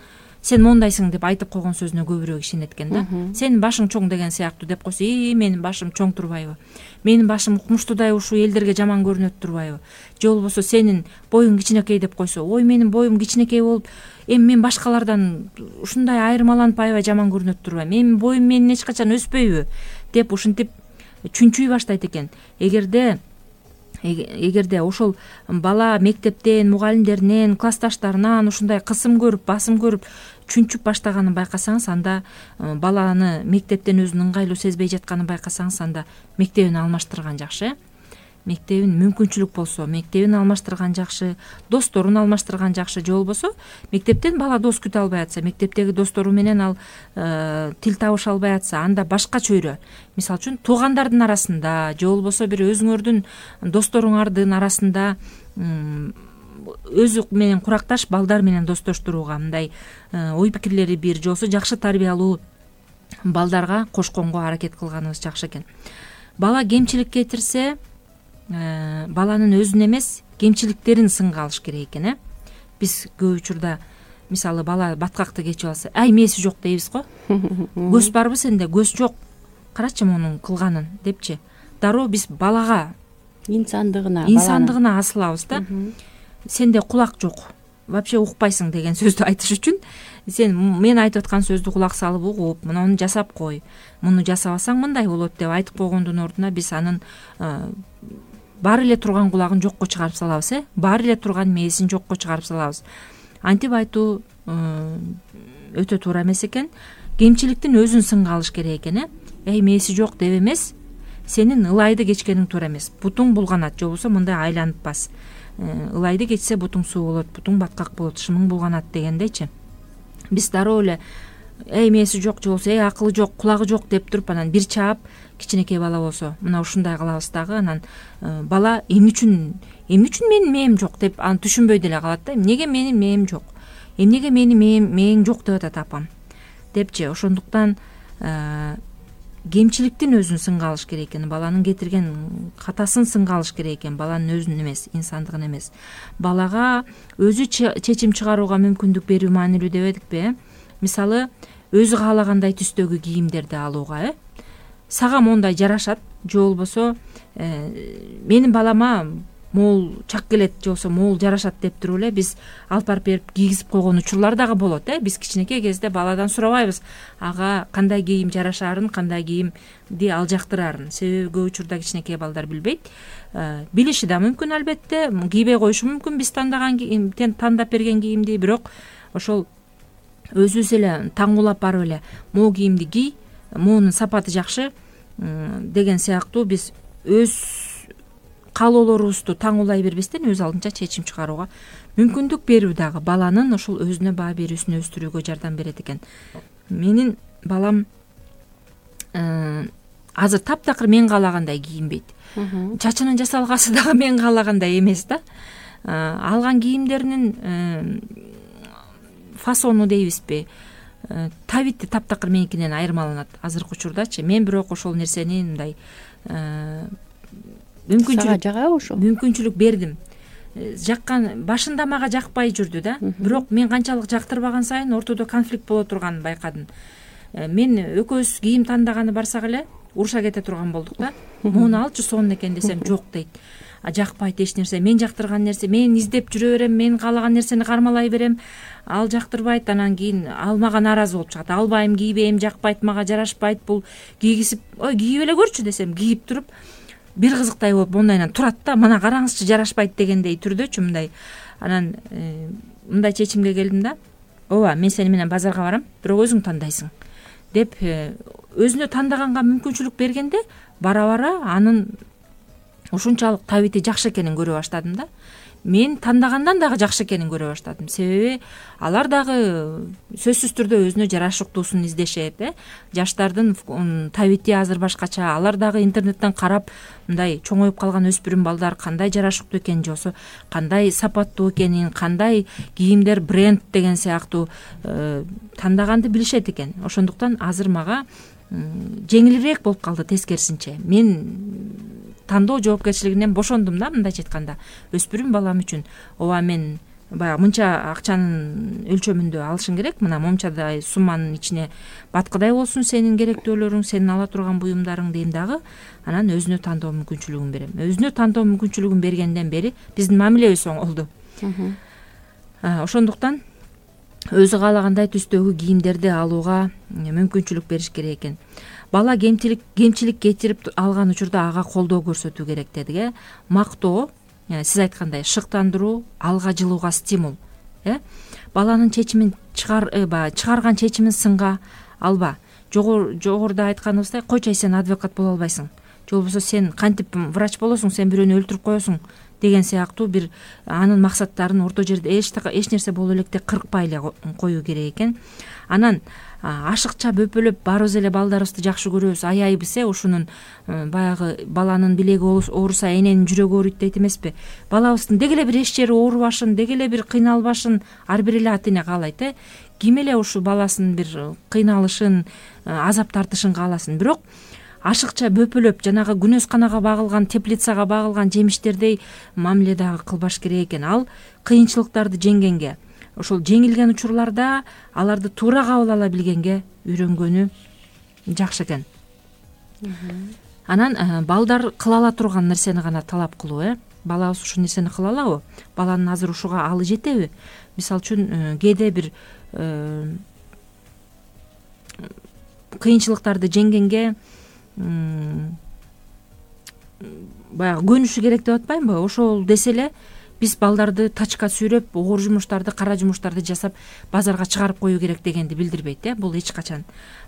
B: сен мондайсың деп айтып койгон сөзүнө көбүрөөк ишенет экен да. Сенин башың чоң деген сыяктуу деп койсо, и менин башым чоң турбайбы? Менин башым укмуштуудай ушул элдерге жаман көрүнөт турбайбы? Же болбосо сенин боюң кичинекей деп койсо, ой менин боюм кичинекей болуп, эми мен башкалардан ушундай айырмаланып аябай жаман көрүнөт турбайбы? Менин боюм менин эч качан өспөйбү деп ушинтип чүнчүй баштайт экен. Эгерде эгерде ошол бала мектептен, мугалимдеринен, классташтарынан ушундай кысым көрүп, басым көрүп чүнчүп баштаганын байкасаңыз, анда баланы мектептен өзүн ыңгайлуу сезбей жатканын байкасаңыз, анда мектебин алмаштырган жакшы. Мектебин мүмкүнчүлүк болсо, мектебин алмаштырган жакшы, досторун алмаштырган жакшы. Же болбосо мектептен бала дос күтө албай атса, мектептеги достору менен ал тил табыша албай атса, анда башка чөйрө. Мисалы үчүн туугандардын арасында, же болбосо бир өзүңөрдүн досторуңардын арасында өзү менен куракташ балдар менен достоштурууга, мындай ой пикирлери бир, же болбосо жакшы тарбиялуу балдарга кошконго аракет кылганыбыз жакшы экен. Бала кемчилик кетирсе, баланын өзүн эмес, кемчиликтерин сынга алыш керек экен. биз көп учурда мисалы бала баткакты кечип алса, ай мээси жок дейбиз го. Көз барбы сенде? Көз жок. Карачы мунун кылганын депчи. Дароо биз балага
C: инсандыгына
B: инсандыгына асылабыз да. Сенде кулак жок, вообще укпайсың деген сөздү айтыш үчүн сен мен айтып аткан сөздү кулак салып угуп, муну жасап кой, муну жасабасаң мындай болот деп айтып койгондун ордуна биз анын баары эле турган кулагын жокко чыгарып салабыз, э баары эле турган мээсин жокко чыгарып салабыз. Антип айтуу өтө туура эмес экен. Кемчиликтин өзүн сынга алыш керек экен, э эй мээси жок деп эмес, сенин ылайды кечкениң туура эмес. Бутуң булганат, же болбосо мындай айланып бас. Ылайды кечсе бутуң суу болот, бутуң баткак болот, шымың булганат дегендейчи. Биз дароо эле эй мээси жок, же болбосо эй акылы жок, кулагы жок деп туруп анан бир чаап кичинекей бала болсо мына ушундай кылабыз дагы. Анан бала эмне үчүн эмне үчүн менин мээм жок деп аны түшүнбөй деле калат да. Эмнеге менин мээм жок? Эмнеге менин мээм мээң жок деп атат апам депчи. Ошондуктан кемчиликтин өзүн сынга алыш керек экен, баланын кетирген катасын сынга алыш керек экен, баланын өзүн эмес, инсандыгын эмес. Балага өзү чечим чыгарууга мүмкүндүк берүү маанилүү деп эдикпи? Мисалы, өзү каалагандай түстөгү кийимдерди алууга, э сага мондай жарашат, же болбосо менин балама могул чак келет, же болбосо могул жарашат деп туруп эле биз алып барып берип кийгизип койгон учурлар дагы болот, э биз кичинекей кезде баладан сурабайбыз ага кандай кийим жарашаарын, кандай кийимди ал жактыраарын. Себеби көп учурда кичинекей балдар билбейт. Билиши да мүмкүн, албетте кийбей коюшу мүмкүн биз тандаган тандап берген кийимди, бирок ошол өзүбүз эле таңуулап барып эле могу кийимди кий, моунун сапаты жакшы деген сыяктуу биз өз каалоолорубузду таңуулай бербестен өз алдынча чечим чыгарууга мүмкүндүк берүү дагы баланын ошол өзүнө баа берүүсүн өстүрүүгө жардам берет экен. Менин балам азыр таптакыр мен каалагандай кийинбейт. Чачынын жасалгасы дагы мен каалагандай эмес да. Алган кийимдеринин фасону дейбизби, табити таптакыр меникинен айырмаланат азыркы учурдачы. Мен бирок ошол нерсени мындай мүмкүнчүлүк жагабы ошол мүмкүнчүлүк бердим. Жаккан башында мага жакпай жүрдү да, бирок мен канчалык жактырбаган сайын ортодо конфликт боло турганын байкадым. Мен экөөбүз кийим тандаганы барсак эле уруша кете турган болдук да. Муну алчы сонун экен десем жок дейт. Жакпайт эч нерсе, мен жактырган нерсе, мен издеп жүрө берем, мен каалаган нерсени кармалай берем, ал жактырбайт, анан кийин ал мага нааразы болуп чыгат. Албайм, кийбейм, жакпайт, мага жарашпайт, бул кийгизип, ой кийип эле көрчү десем, кийип туруп бир кызыктай болуп мондайынан турат да, мына караңызчы жарашпайт дегендей түрдөчү мындай. Анан мындай чечимге келдим да, ооба мен сени менен базарга барам, бирок өзүң тандайсың деп өзүнө тандаганга мүмкүнчүлүк бергенде бара бара анын ушунчалык табити жакшы экенин көрө баштадым да. Мен тандагандан дагы жакшы экенин көрө баштадым. Себеби алар дагы сөзсүз түрдө өзүнө жарашыктуусун издешет, э. Жаштардын табити азыр башкача. Алар дагы интернеттен карап, мындай чоңоюп калган өспүрүм балдар кандай жарашыктуу экенин, же болбосо кандай сапаттуу экенин, кандай кийимдер бренд деген сыяктуу тандаганды билишет экен. Ошондуктан азыр мага жеңилирээк болуп калды тескерисинче. Мен тандоо жоопкерчилигинен бошондум да, мындайча айтканда. Өспүрүм балам үчүн ооба мен баягы мынча акчанын өлчөмүндө алышың керек, мына момчадай сумманын ичине баткыдай болсун сенин керектөөлөрүң, сенин ала турган буюмдарың дейм дагы, анан өзүнө тандоо мүмкүнчүлүгүн берем. Өзүнө тандоо мүмкүнчүлүгүн бергенден бери биздин мамилебиз оңолду. Ошондуктан өзү каалагандай түстөгү кийимдерди алууга мүмкүнчүлүк бериш керек экен. Бала кемчилик кемчилик кетирип алган учурда ага колдоо көрсөтүү керек дедик, э. Мактоо, сиз айткандай шыктандыруу, алга жылууга стимул, э. Баланын чечимин чыгар чыгарган чечимин сынга алба. Жогоруда айтканыбыздай, койчу сен адвокат боло албайсың. Же болбосо сен кантип врач болосуң, сен бирөөнү өлтүрүп коесуң деген сыяктуу бир анын максаттарын орто жерде эч эч нерсе боло электе кыркпай эле коюу керек экен. Анан ашыкча бөпөлөп баарыбыз эле балдарыбызды жакшы көрөбүз, аяйбыз, э. Ушунун баягы баланын билеги ооруса эненин жүрөгү ооруйт дейт эмеспи? Балабыздын деги эле бир эч жери оорубашын, деги эле бир кыйналбашын ар бир эле ата эне каалайт, э. Ким эле ушу баласынын бир кыйналышын, азап тартышын кааласын. Бирок ашыкча бөпөлөп жанагы күнөсканага багылган, теплицага багылган жемиштердей мамиле дагы кылбаш керек экен. Ал кыйынчылыктарды жеңгенге, ошол жеңилген учурларда аларды туура кабыл ала билгенге үйрөнгөнү жакшы экен. Анан балдар кыла ала турган нерсени гана талап кылуу, э балабыз ушул нерсени кыла алабы? Баланын азыр ушуга алы жетеби? Мисалы үчүн кээде бир кыйынчылыктарды жеңгенге баягы көнүшү керек деп атпаймынбы? Ошол десе эле биз балдарды тачка сүйрөп, оор жумуштарды, кара жумуштарды жасап базарга чыгарып коюу керек дегенди билдирбейт, э бул эч качан.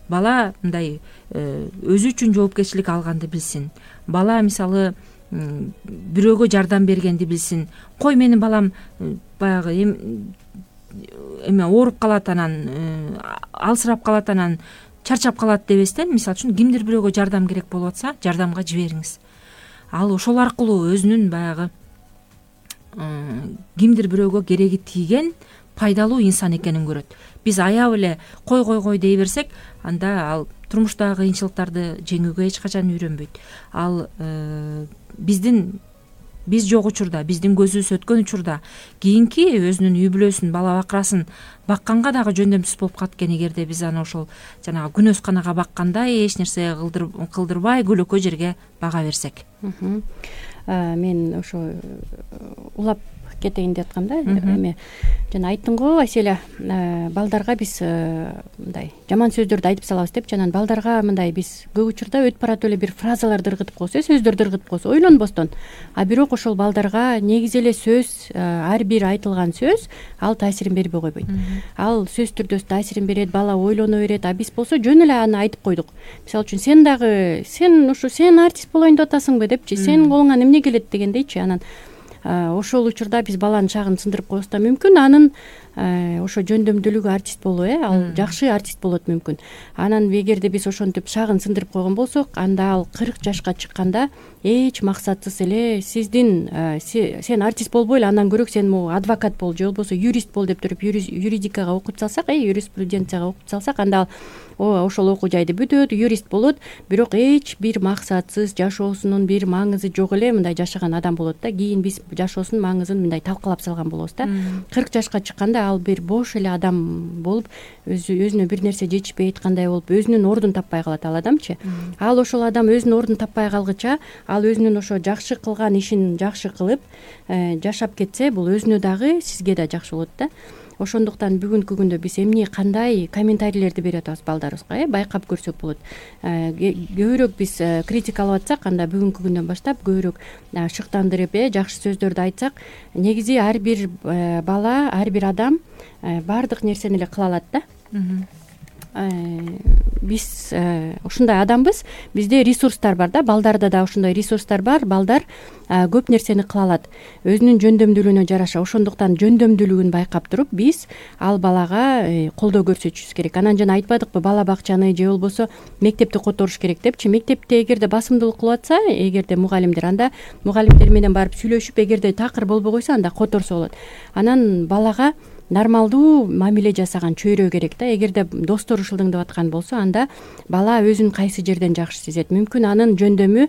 B: Бала мындай өзү үчүн жоопкерчилик алганды билсин. Бала мисалы бирөөгө жардам бергенди билсин. Кой менин балам баягы эме ооруп калат, анан алсырап калат, анан чарчап калат дебестен, мисалы үчүн кимдир бирөөгө жардам керек болуп атса, жардамга жибериңиз. Ал ошол аркылуу өзүнүн баягы кимдир бирөөгө кереги тийген пайдалуу инсан экенин көрөт. Биз аяп эле кой кой кой дей берсек, анда ал турмуштагы кыйынчылыктарды жеңүүгө эч качан үйрөнбөйт. Ал биздин биз жок учурда, биздин көзүбүз өткөн учурда кийинки өзүнүн үй бүлөсүн, бала бакырасын бакканга дагы жөндөмсүз болуп калат экен, эгерде биз аны ошол жанагы күнөсканага баккандай эч нерсе кылдырбай көлөкө жерге бага берсек.
C: Мен ошо улап кетейин деп аткам да. Эме жана айттың го Аселя, балдарга биз мындай жаман сөздөрдү айтып салабыз деп, жана балдарга мындай биз көп учурда өтүп баратып эле бир фразаларды ыргытып коебуз, сөздөрдү ыргытып коебуз ойлонбостон. А бирок ошол балдарга негизи эле сөз, ар бир айтылган сөз ал таасирин бербей койбойт. Ал сөз түрдө таасирин берет, бала ойлоно берет. А биз болсо жөн эле аны айтып койдук. Мисалы үчүн сен дагы сен ушу сен артист болоюн деп атасыңбы депчи, сен колуңан эмне келет дегендейчи. Анан ошол учурда биз баланын шагын сындырып коебуз да, мүмкүн анын ошо жөндөмдүүлүгү артист болуу, э ал жакшы артист болот мүмкүн. Анан эгерде биз ошентип шагын сындырып койгон болсок, анда ал кырк жашка чыкканда эч максатсыз эле сиздин сен артист болбой эле, андан көрө сен могу адвокат бол же болбосо юрист бол деп туруп юридикага окутуп салсак, э юриспруденцияга окутуп салсак, анда ал ошол окуу жайды бүтөт, юрист болот, бирок эч бир максатсыз жашоосунун бир маңызы жок эле мындай жашаган адам болот да. Кийин биз жашоосунун маңызын мындай талкалап салган болобуз да. кырк жашка чыкканда ал бир бош эле адам болуп, өзүнө бир нерсе жетишпей айткандай болуп, өзүнүн ордун таппай калат ал адамчы. Ал ошол адам өзүнүн ордун таппай калгыча, ал өзүнүн ошо жакшы кылган ишин жакшы кылып жашап кетсе, бул өзүнө дагы сизге да жакшы болот да. Ошондуктан бүгүнкү күндө биз эмне кандай комментарийлерди берип атабыз балдарыбызга, э байкап көрсөк болот. Көбүрөөк биз критикалап атсак, анда бүгүнкү күндөн баштап көбүрөөк шыктандырып, э жакшы сөздөрдү айтсак, негизи ар бир бала, ар бир адам баардык нерсени эле кыла алат да. Биз ушундай адамбыз, бизде ресурстар бар да, балдарда да ушундай ресурстар бар. Балдар көп нерсени кыла алат өзүнүн жөндөмдүүлүгүнө жараша. Ошондуктан жөндөмдүүлүгүн байкап туруп биз ал балага колдоо көрсөтүшүбүз керек. Анан жана айтпадыкпы, бала бакчаны же болбосо мектепти которуш керек депчи. Мектепте эгерде басымдуулук кылып атса, эгерде мугалимдер, анда мугалимдер менен барып сүйлөшүп, эгерде такыр болбой койсо, анда которсо болот. Анан балага нормалдуу мамиле жасаган чөйрө керек да. Эгерде достору ушулдыңдап аткан болсо, анда бала өзүн кайсы жерден жакшы сезет. Мүмкүн анын жөндөмү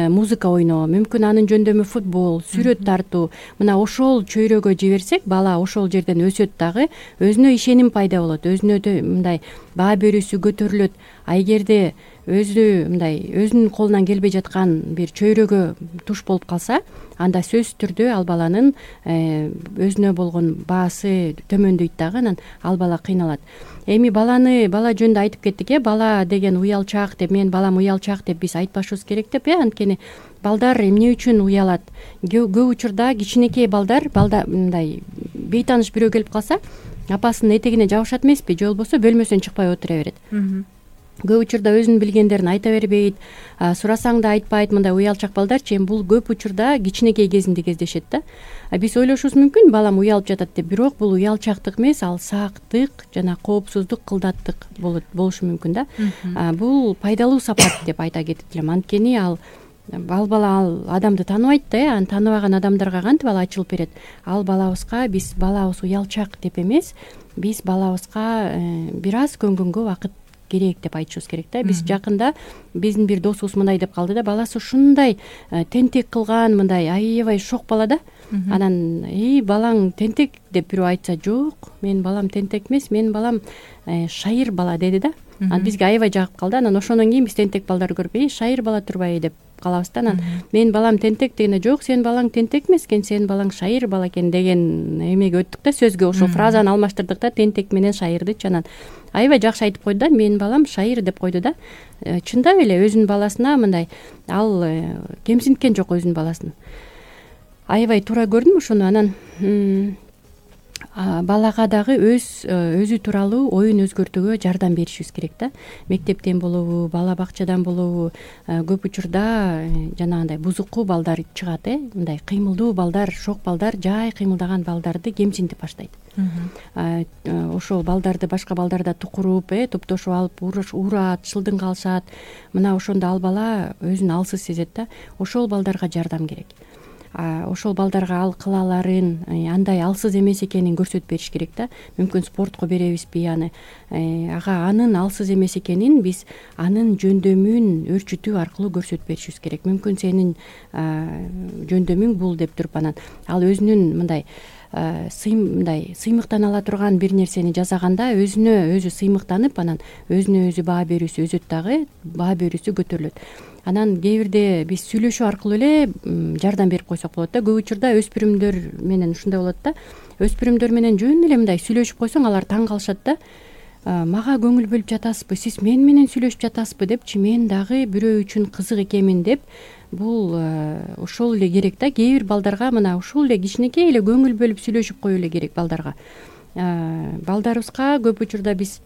C: музыка ойноо, мүмкүн анын жөндөмү футбол, сүрөт тартуу. Мына ошол чөйрөгө жиберсек, бала ошол жерден өсөт дагы, өзүнө ишеним пайда болот, өзүнө мындай баа берүүсү көтөрүлөт. А эгерде өзү мындай өзүнүн колунан келбей жаткан бир чөйрөгө туш болуп калса, анда сөзсүз түрдө ал баланын өзүнө болгон баасы төмөндөйт дагы, анан ал бала кыйналат. Эми баланы бала жөнүндө айтып кеттик, э бала деген уялчаак деп, мен балам уялчаак деп биз айтпашыбыз керек деп, э анткени балдар эмне үчүн уялат? Көп учурда кичинекей балдар, балда мындай бейтааныш бирөө келип калса, апасынын этегине жабышат эмеспи, же болбосо бөлмөсүнөн чыкпай отура берет. Көп учурда өзүнүн билгендерин айта бербейт, сурасаң да айтпайт. Мындай уялчак балдарчы, эми бул көп учурда кичинекей кезинде кездешет да. Биз ойлошубуз мүмкүн, балам уялып жатат деп, бирок бул уялчактык эмес, ал саактык жана коопсуздук, кылдаттык болот болушу мүмкүн да. Бул пайдалуу сапат деп айта кетет элем, анткени ал ал бала ал адамды тааныбайт да, э аны тааныбаган адамдарга кантип ал ачылып берет. Ал балабызга биз балабыз уялчак деп эмес, биз балабызга бир аз көнгөнгө убакыт керек деп айтышыбыз керек да. Биз жакында биздин бир досубуз мындай деп калды да, баласы ушундай тентек кылган, мындай аябай шок бала да. Анан эй балаң тентек деп бирөө айтса, жок, менин балам тентек эмес, менин балам шайыр бала деди да. Анан бизге аябай жагып калды. Анан ошондон кийин биз тентек балдарды көрүп, эй шайыр бала турбайбы деп калабыз да. Анан менин балам тентек дегенде, жок, сенин балаң тентек эмес экен, сенин балаң шайыр бала экен деген эмеге өттүк да, сөзгө ошол фразаны алмаштырдык да, тентек менен шайырдычы. Анан аябай жакшы айтып койду да, менин балам шайыр деп койду да. Чындап эле өзүнүн баласына мындай ал кемсинткен жок өзүнүн баласын. Аябай туура көрдүм ошону. Анан балага дагы өз өзү тууралуу оюн өзгөртүүгө жардам беришибиз керек да. Мектептен болобу, бала бакчадан болобу, көп учурда жанагындай бузуку балдар чыгат, э мындай кыймылдуу балдар, шок балдар жай кыймылдаган балдарды кемсинтип баштайт. Ошол балдарды башка балдарда тукуруп, э топтошуп алып урат, шылдың калышат. Мына ошондо ал бала өзүн алсыз сезет да. Ошол балдарга жардам керек. Ошол балдарга ал кылааларын, андай алсыз эмес экенин көрсөтүп бериш керек да. Мүмкүн спортко беребизби аны, ага анын алсыз эмес экенин биз анын жөндөмүн өөрчүтүү аркылуу көрсөтүп беришибиз керек. Мүмкүн сенин жөндөмүң бул деп туруп, анан ал өзүнүн мындай мындай сыймыктана ала турган бир нерсени жасаганда өзүнө өзү сыймыктанып, анан өзүнө өзү баа берүүсү өзөт дагы, баа берүүсү көтөрүлөт. Анан кээ бирде биз сүйлөшүү аркылуу эле жардам берип койсок болот да. Көп учурда өспүрүмдөр менен ушундай болот да. Өспүрүмдөр менен жөн эле мындай сүйлөшүп койсоң, алар таң калышат да. Мага көңүл бөлүп жатасызбы, сиз мен менен сүйлөшүп жатасызбы депчи, мен дагы бирөө үчүн кызык экенмин деп. Бул ошол эле керек да. Кээ бир балдарга мына ушул эле кичинекей эле көңүл бөлүп сүйлөшүп коюу эле керек балдарга. Балдарыбызга көп учурда биз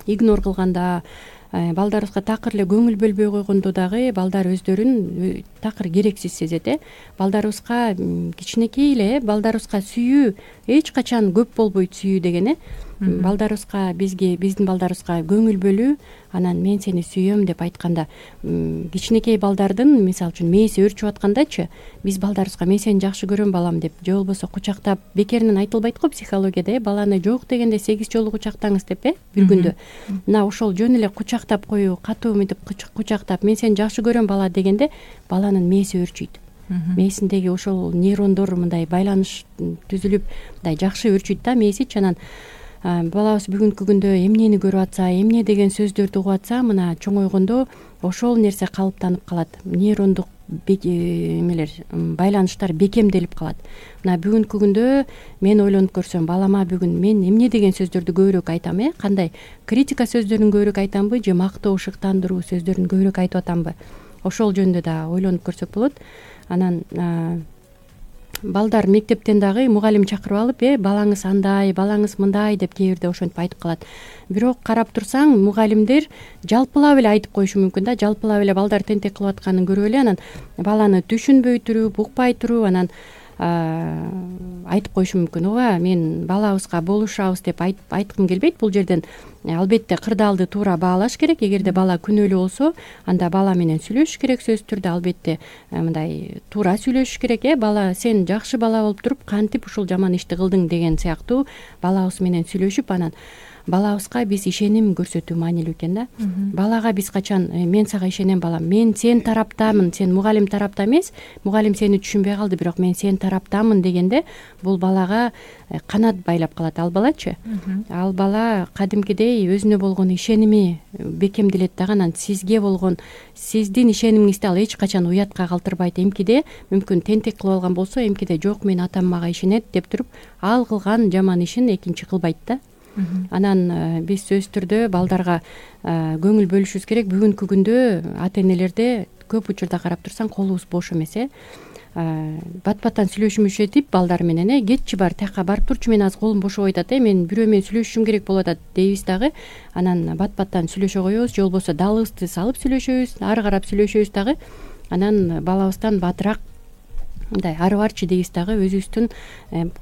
C: игнор кылганда, балдарыбызга такыр эле көңүл бөлбөй койгондо дагы балдар өздөрүн такыр керексиз сезет, э. Балдарыбызга кичинекей эле балдарыбызга сүйүү эч качан көп болбойт, сүйүү деген, э. Балдарыбызга бизге биздин балдарыбызга көңүл бөлүү, анан мен сени сүйөм деп айтканда, кичинекей балдардын мисалы үчүн мээси өөрчүп аткандачы, биз балдарыбызга мен сени жакшы көрөм балам деп, же болбосо кучактап, бекеринен айтылбайт го психологияда, э, баланы жок дегенде сегиз жолу кучактаңыз деп, э, бир күндө. Мына ошол жөн эле кучактап коюу, катуу мынтип кучактап, мен сени жакшы көрөм бала дегенде баланын мээси өөрчүйт. Мээсиндеги ошол нейрондор мындай байланыш түзүлүп, мындай жакшы өөрчүйт да мээсичи. Анан балабыз бүгүнкү күндө эмнени көрүп атса, эмне деген сөздөрдү угуп атса, мына чоңойгондо ошол нерсе калыптанып калат. Нейрондук эмелер, байланыштар бекемделип калат. Мына бүгүнкү күндө мен ойлонуп көрсөм, балама бүгүн мен эмне деген сөздөрдү көбүрөөк айтам, э? Кандай критика сөздөрүн көбүрөөк айтамбы, же мактоо, шыктандыруу сөздөрүн көбүрөөк айтып атамбы? Ошол жөнүндө да ойлонуп көрсөк болот. Анан балдар мектептен дагы мугалим чакырып алып, э балаңыз андай, балаңыз мындай деп кээ бирде ошентип айтып калат. Бирок карап турсаң, мугалимдер жалпылап эле айтып коюшу мүмкүн да, жалпылап эле балдар тентек кылып атканын көрүп эле, анан баланы түшүнбөй туруп, укпай туруп, анан айтып коюшу мүмкүн. Ооба, мен балабызга болушабыз деп айткым келбейт. Бул жерден албетте кырдаалды туура баалаш керек. Эгерде бала күнөөлүү болсо, анда бала менен сүйлөшүш керек сөзсүз түрдө, албетте мындай туура сүйлөшүш керек, э. Бала сен жакшы бала болуп туруп, кантип ушул жаман ишти кылдың деген сыяктуу балабыз менен сүйлөшүп, анан балабызга биз ишеним көрсөтүү маанилүү экен да. Балага биз качан мен сага ишенем балам, мен сен тараптамын, сен мугалим тарапта эмес, мугалим сени түшүнбөй калды, бирок мен сен тараптамын дегенде бул балага канат байлап калат ал балачы. Ал бала кадимкидей өзүнө болгон ишеними бекемделет дагы, анан сизге болгон сиздин ишенимиңизди ал эч качан уятка калтырбайт. Эмкиде мүмкүн тентек кылып алган болсо, эмкиде жок, мен атам мага ишенет деп туруп, ал кылган жаман ишин экинчи кылбайт да. Анан биз сөзсүз түрдө балдарга көңүл бөлүшүбүз керек. Бүгүнкү күндө ата энелерде көп учурда карап турсаң колубуз бош эмес, э. Бат-баттан сүйлөшүмүш этип балдар менен, э, кетчи бар, тияка барып турчу, мен азыр колум бошобой атат, э, мен бирөө менен сүйлөшүшүм керек болуп атат дейбиз дагы. Анан бат-баттан сүйлөшө коебуз, же болбосо далыбызды салып сүйлөшөбүз, ары карап сүйлөшөбүз дагы. Анан балабыздан батыраак мындай ары барчы дейбиз дагы, өзүбүздүн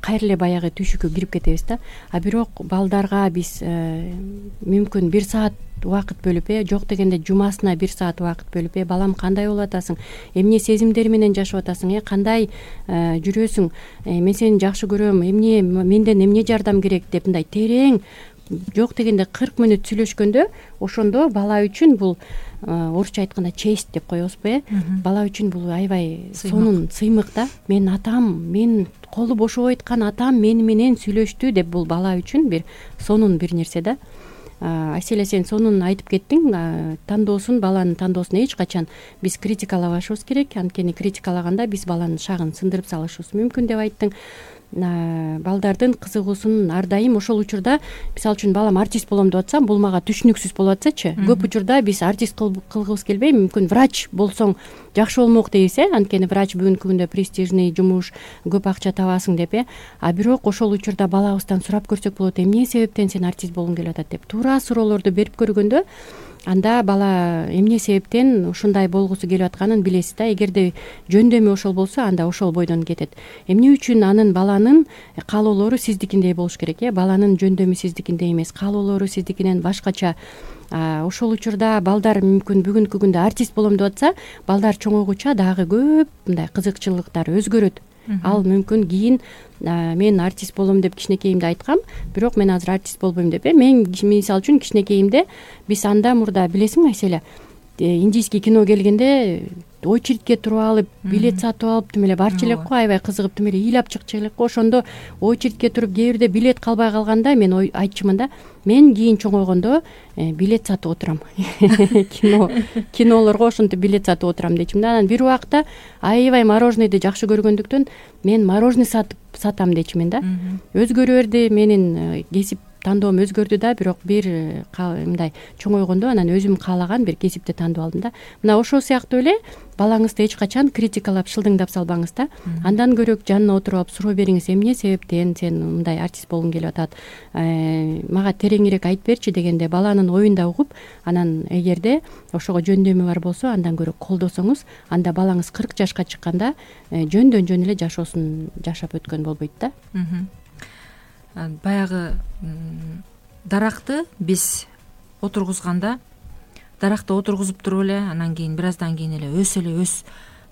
C: кайра эле баягы түйшүккө кирип кетебиз да. А бирок балдарга биз мүмкүн бир саат убакыт бөлүп, э жок дегенде жумасына бир саат убакыт бөлүп, э балам кандай болуп атасың, эмне сезимдер менен жашап атасың, э кандай жүрөсүң, мен сени жакшы көрөм, эмне менден эмне жардам керек деп мындай терең жок дегенде кырк мүнөт сүйлөшкөндө ошондо бала үчүн бул орусча айтканда честь деп коебузбу э бала үчүн бул аябай сонун сыймык да. Мен атам, мен колу бошобой айткан атам мени менен сүйлөштү деп, бул бала үчүн бир сонун бир нерсе да. Айселе, сен сонун айтып кеттиң. Тандоосун, баланын тандоосун эч качан биз критикалабашыбыз керек. Анткени критикалаганда биз баланын шагын сындырып салышыбыз мүмкүн деп айттың. Балдардын кызыгуусун ар дайым ошол учурда, мисалы үчүн балам артист болом деп атсам, бул мага түшүнүксүз болуп атсачы, көп учурда биз артист кылгыбыз келбей, мүмкүн врач болсоң жакшы болмок дейбиз э анткени врач бүгүнкү күндө престижный жумуш, көп акча табасың деп э а бирок ошол учурда балабыздан сурап көрсөк болот, эмне себептен сен артист болгуң келип атат деп туура суроолорду берип көргөндө, анда бала эмне себептен ушундай болгусу келип атканын билесиз да. Эгерде жөндөмү ошол болсо, анда ошол бойдон кетет. Эмне үчүн анын баланын каалоолору сиздикиндей болуш керек э баланын жөндөмү сиздикиндей эмес, каалоолору сиздикинен башкача. Ошол учурда балдар мүмкүн бүгүнкү күндө артист болом деп атса, балдар чоңойгуча дагы көп мындай кызыкчылыктары өзгөрөт. Ал мүмкүн кийин мен артист болом деп кичинекейимде айткам, бирок мен азыр артист болбойм деп э мен мисалы үчүн кичинекейимде биз анда мурда билесиңби Айселе, индийский кино келгенде очередке туруп алып, билет сатып алып тим эле барчу элек го, аябай кызыгып тим эле ыйлап чыкчу элек го. Ошондо очередке туруп кээ бирде билет калбай калганда мен айтчумун да, мен кийин чоңойгондо билет сатып отурам. Кино кинолорго ошентип билет сатып отурам дейчүмүн да. Анан бир убакта аябай мороженыйды жакшы көргөндүктөн мен мороженый сатып сатам дейчүмүн да. Өзгөрө берди, менин кесип тандоом өзгөрдү да, бирок бир мындай чоңойгондо анан өзүм каалаган бир кесипти тандап алдым да. Мына ошол сыяктуу эле балаңызды эч качан критикалап, шылдыңдап салбаңыз да. Андан көрөк жанына отуруп алып суроо бериңиз, эмне себептен сен мындай артист болгуң келип атат, мага тереңирээк айтып берчи дегенде баланын оюн да угуп, анан эгерде ошого жөндөмү бар болсо, андан көрө колдосоңуз, анда балаңыз кырк жашка чыкканда жөндөн жөн эле жашоосун жашап өткөн болбойт да.
B: Баягы даракты биз отургузганда, даракты отургузуп туруп эле анан кийин бир аздан кийин эле өс эле өс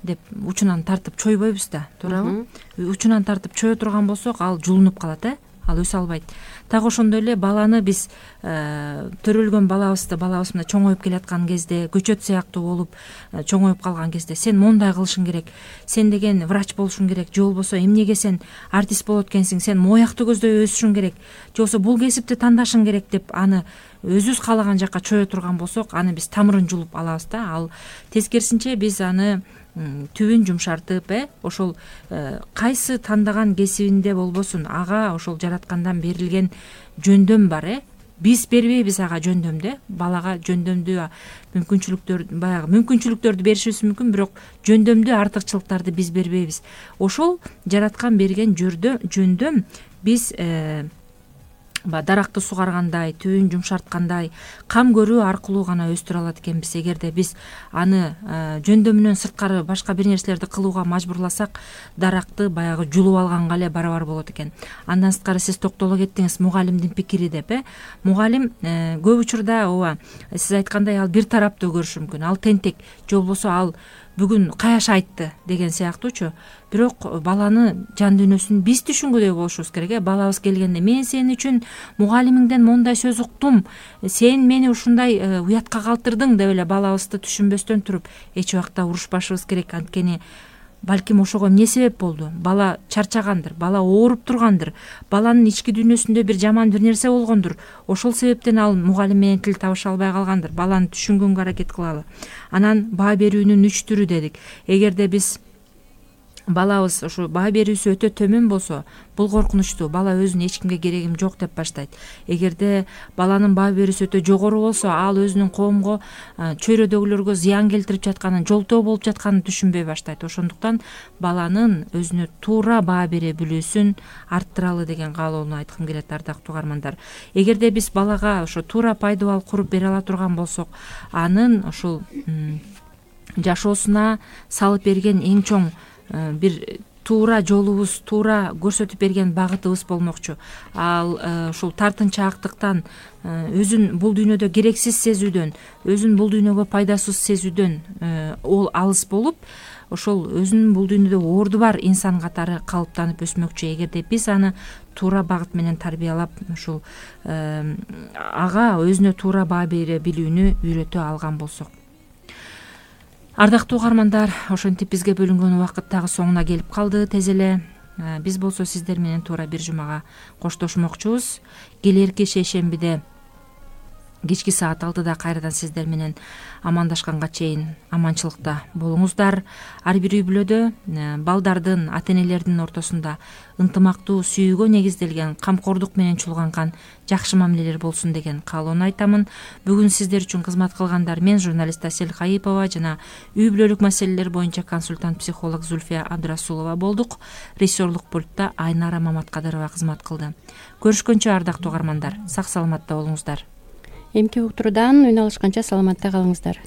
B: деп учунан тартып чойбойбуз да, туурабы? Учунан тартып чое турган болсок, ал жулунуп калат э ал өсө албайт. Так ошондой эле баланы биз төрөлгөн балабызды балабыз мына чоңоюп келаткан кезде, көчөт сыяктуу болуп чоңоюп калган кезде сен мондай кылышың керек, сен деген врач болушуң керек, же болбосо эмнеге сен артист болот экенсиң, сен моякты көздөй өсүшүң керек, же болбосо бул кесипти тандашың керек деп аны өзүбүз каалаган жакка чое турган болсок, аны биз тамырын жулуп алабыз да. Ал тескерисинче биз аны түбүн жумшартып, э ошол кайсы тандаган кесибинде болбосун, ага ошол жараткандан берилген жөндөм бар э биз бербейбиз ага жөндөмдү, балага жөндөмдүү мүмкүнчүлүктөр баягы мүмкүнчүлүктөрдү беришибиз мүмкүн, бирок жөндөмдүү артыкчылыктарды биз бербейбиз. Ошол жараткан берген жөндөм биз даракты сугаргандай, түбүн жумшарткандай, кам көрүү аркылуу гана өстүрө алат экенбиз. Эгерде биз аны жөндөмүнөн сырткары башка бир нерселерди кылууга мажбурласак, даракты баягы жулуп алганга эле барабар болот экен. Андан сырткары сиз токтоло кеттиңиз мугалимдин пикири деп э мугалим көп учурда ооба сиз айткандай ал бир тараптуу көрүшү мүмкүн, ал тентек, же болбосо ал бүгүн каяш айтты деген сыяктуучу. Бирок баланы жан дүйнөсүн биз түшүнгүдөй болушубуз керек э балабыз келгенде мен сен үчүн мугалимиңден мондай сөз уктум, сен мени ушундай уятка калтырдың деп эле балабызды түшүнбөстөн туруп эч убакта урушпашыбыз керек. Анткени балким ошого эмне себеп болду? Бала чарчагандыр, бала ооруп тургандыр, баланын ички дүйнөсүндө бир жаман бир нерсе болгондур. Ошол себептен ал мугалим менен тил табыша албай калгандыр. Баланы түшүнгөнгө аракет кылалы. Анан баа берүүнүн үч түрү дедик. Эгерде биз балабыз ушу баа берүүсү өтө төмөн болсо, бул коркунучтуу. Бала өзүн эч кимге керегим жок деп баштайт. Эгерде баланын баа берүүсү өтө жогору болсо, ал өзүнүн коомго, чөйрөдөгүлөргө зыян келтирип жатканын, жолтоо болуп жатканын түшүнбөй баштайт. Ошондуктан баланын өзүнө туура баа бере билүүсүн арттыралы деген каалоону айткым келет, ардактуу угармандар. Эгерде биз балага ошо туура пайдубал куруп бере ала турган болсок, анын ушул жашоосуна салып берген эң чоң бир туура жолубуз, туура көрсөтүп берген багытыбыз болмокчу. Ал ушул тартынчаактыктан, өзүн бул дүйнөдө керексиз сезүүдөн, өзүн бул дүйнөгө пайдасыз сезүүдөн ол алыс болуп, ошол өзүнүн бул дүйнөдө орду бар инсан катары калыптанып өсмөкчү. Эгерде биз аны туура багыт менен тарбиялап, ушул ага өзүнө туура баа бере билүүнү үйрөтө алган болсок. Ардактуу угармандар, ошентип бизге бөлүнгөн убакыт дагы соңуна келип калды тез эле. Биз болсо сиздер менен туура бир жумага коштошмокчубуз. Келерки шейшембиде кечки саат алтыда кайрадан сиздер менен амандашканга чейин аманчылыкта болуңуздар. Ар бир үй бүлөдө балдардын, ата энелердин ортосунда ынтымактуу сүйүүгө негизделген, камкордук менен чулганган жакшы мамилелер болсун деген каалоону айтамын. Бүгүн сиздер үчүн кызмат кылгандар мен, журналист Асель Кайыпова жана үй бүлөлүк маселелер боюнча консультант психолог Зульфия Абдрасулова болдук. Режиссерлук пультта Айнара Маматкадырова кызмат кылды. Көрүшкөнчө ардактуу угармандар, сак саламатта болуңуздар.
C: Эмки уктуруудан үн алышканча саламатта калыңыздар.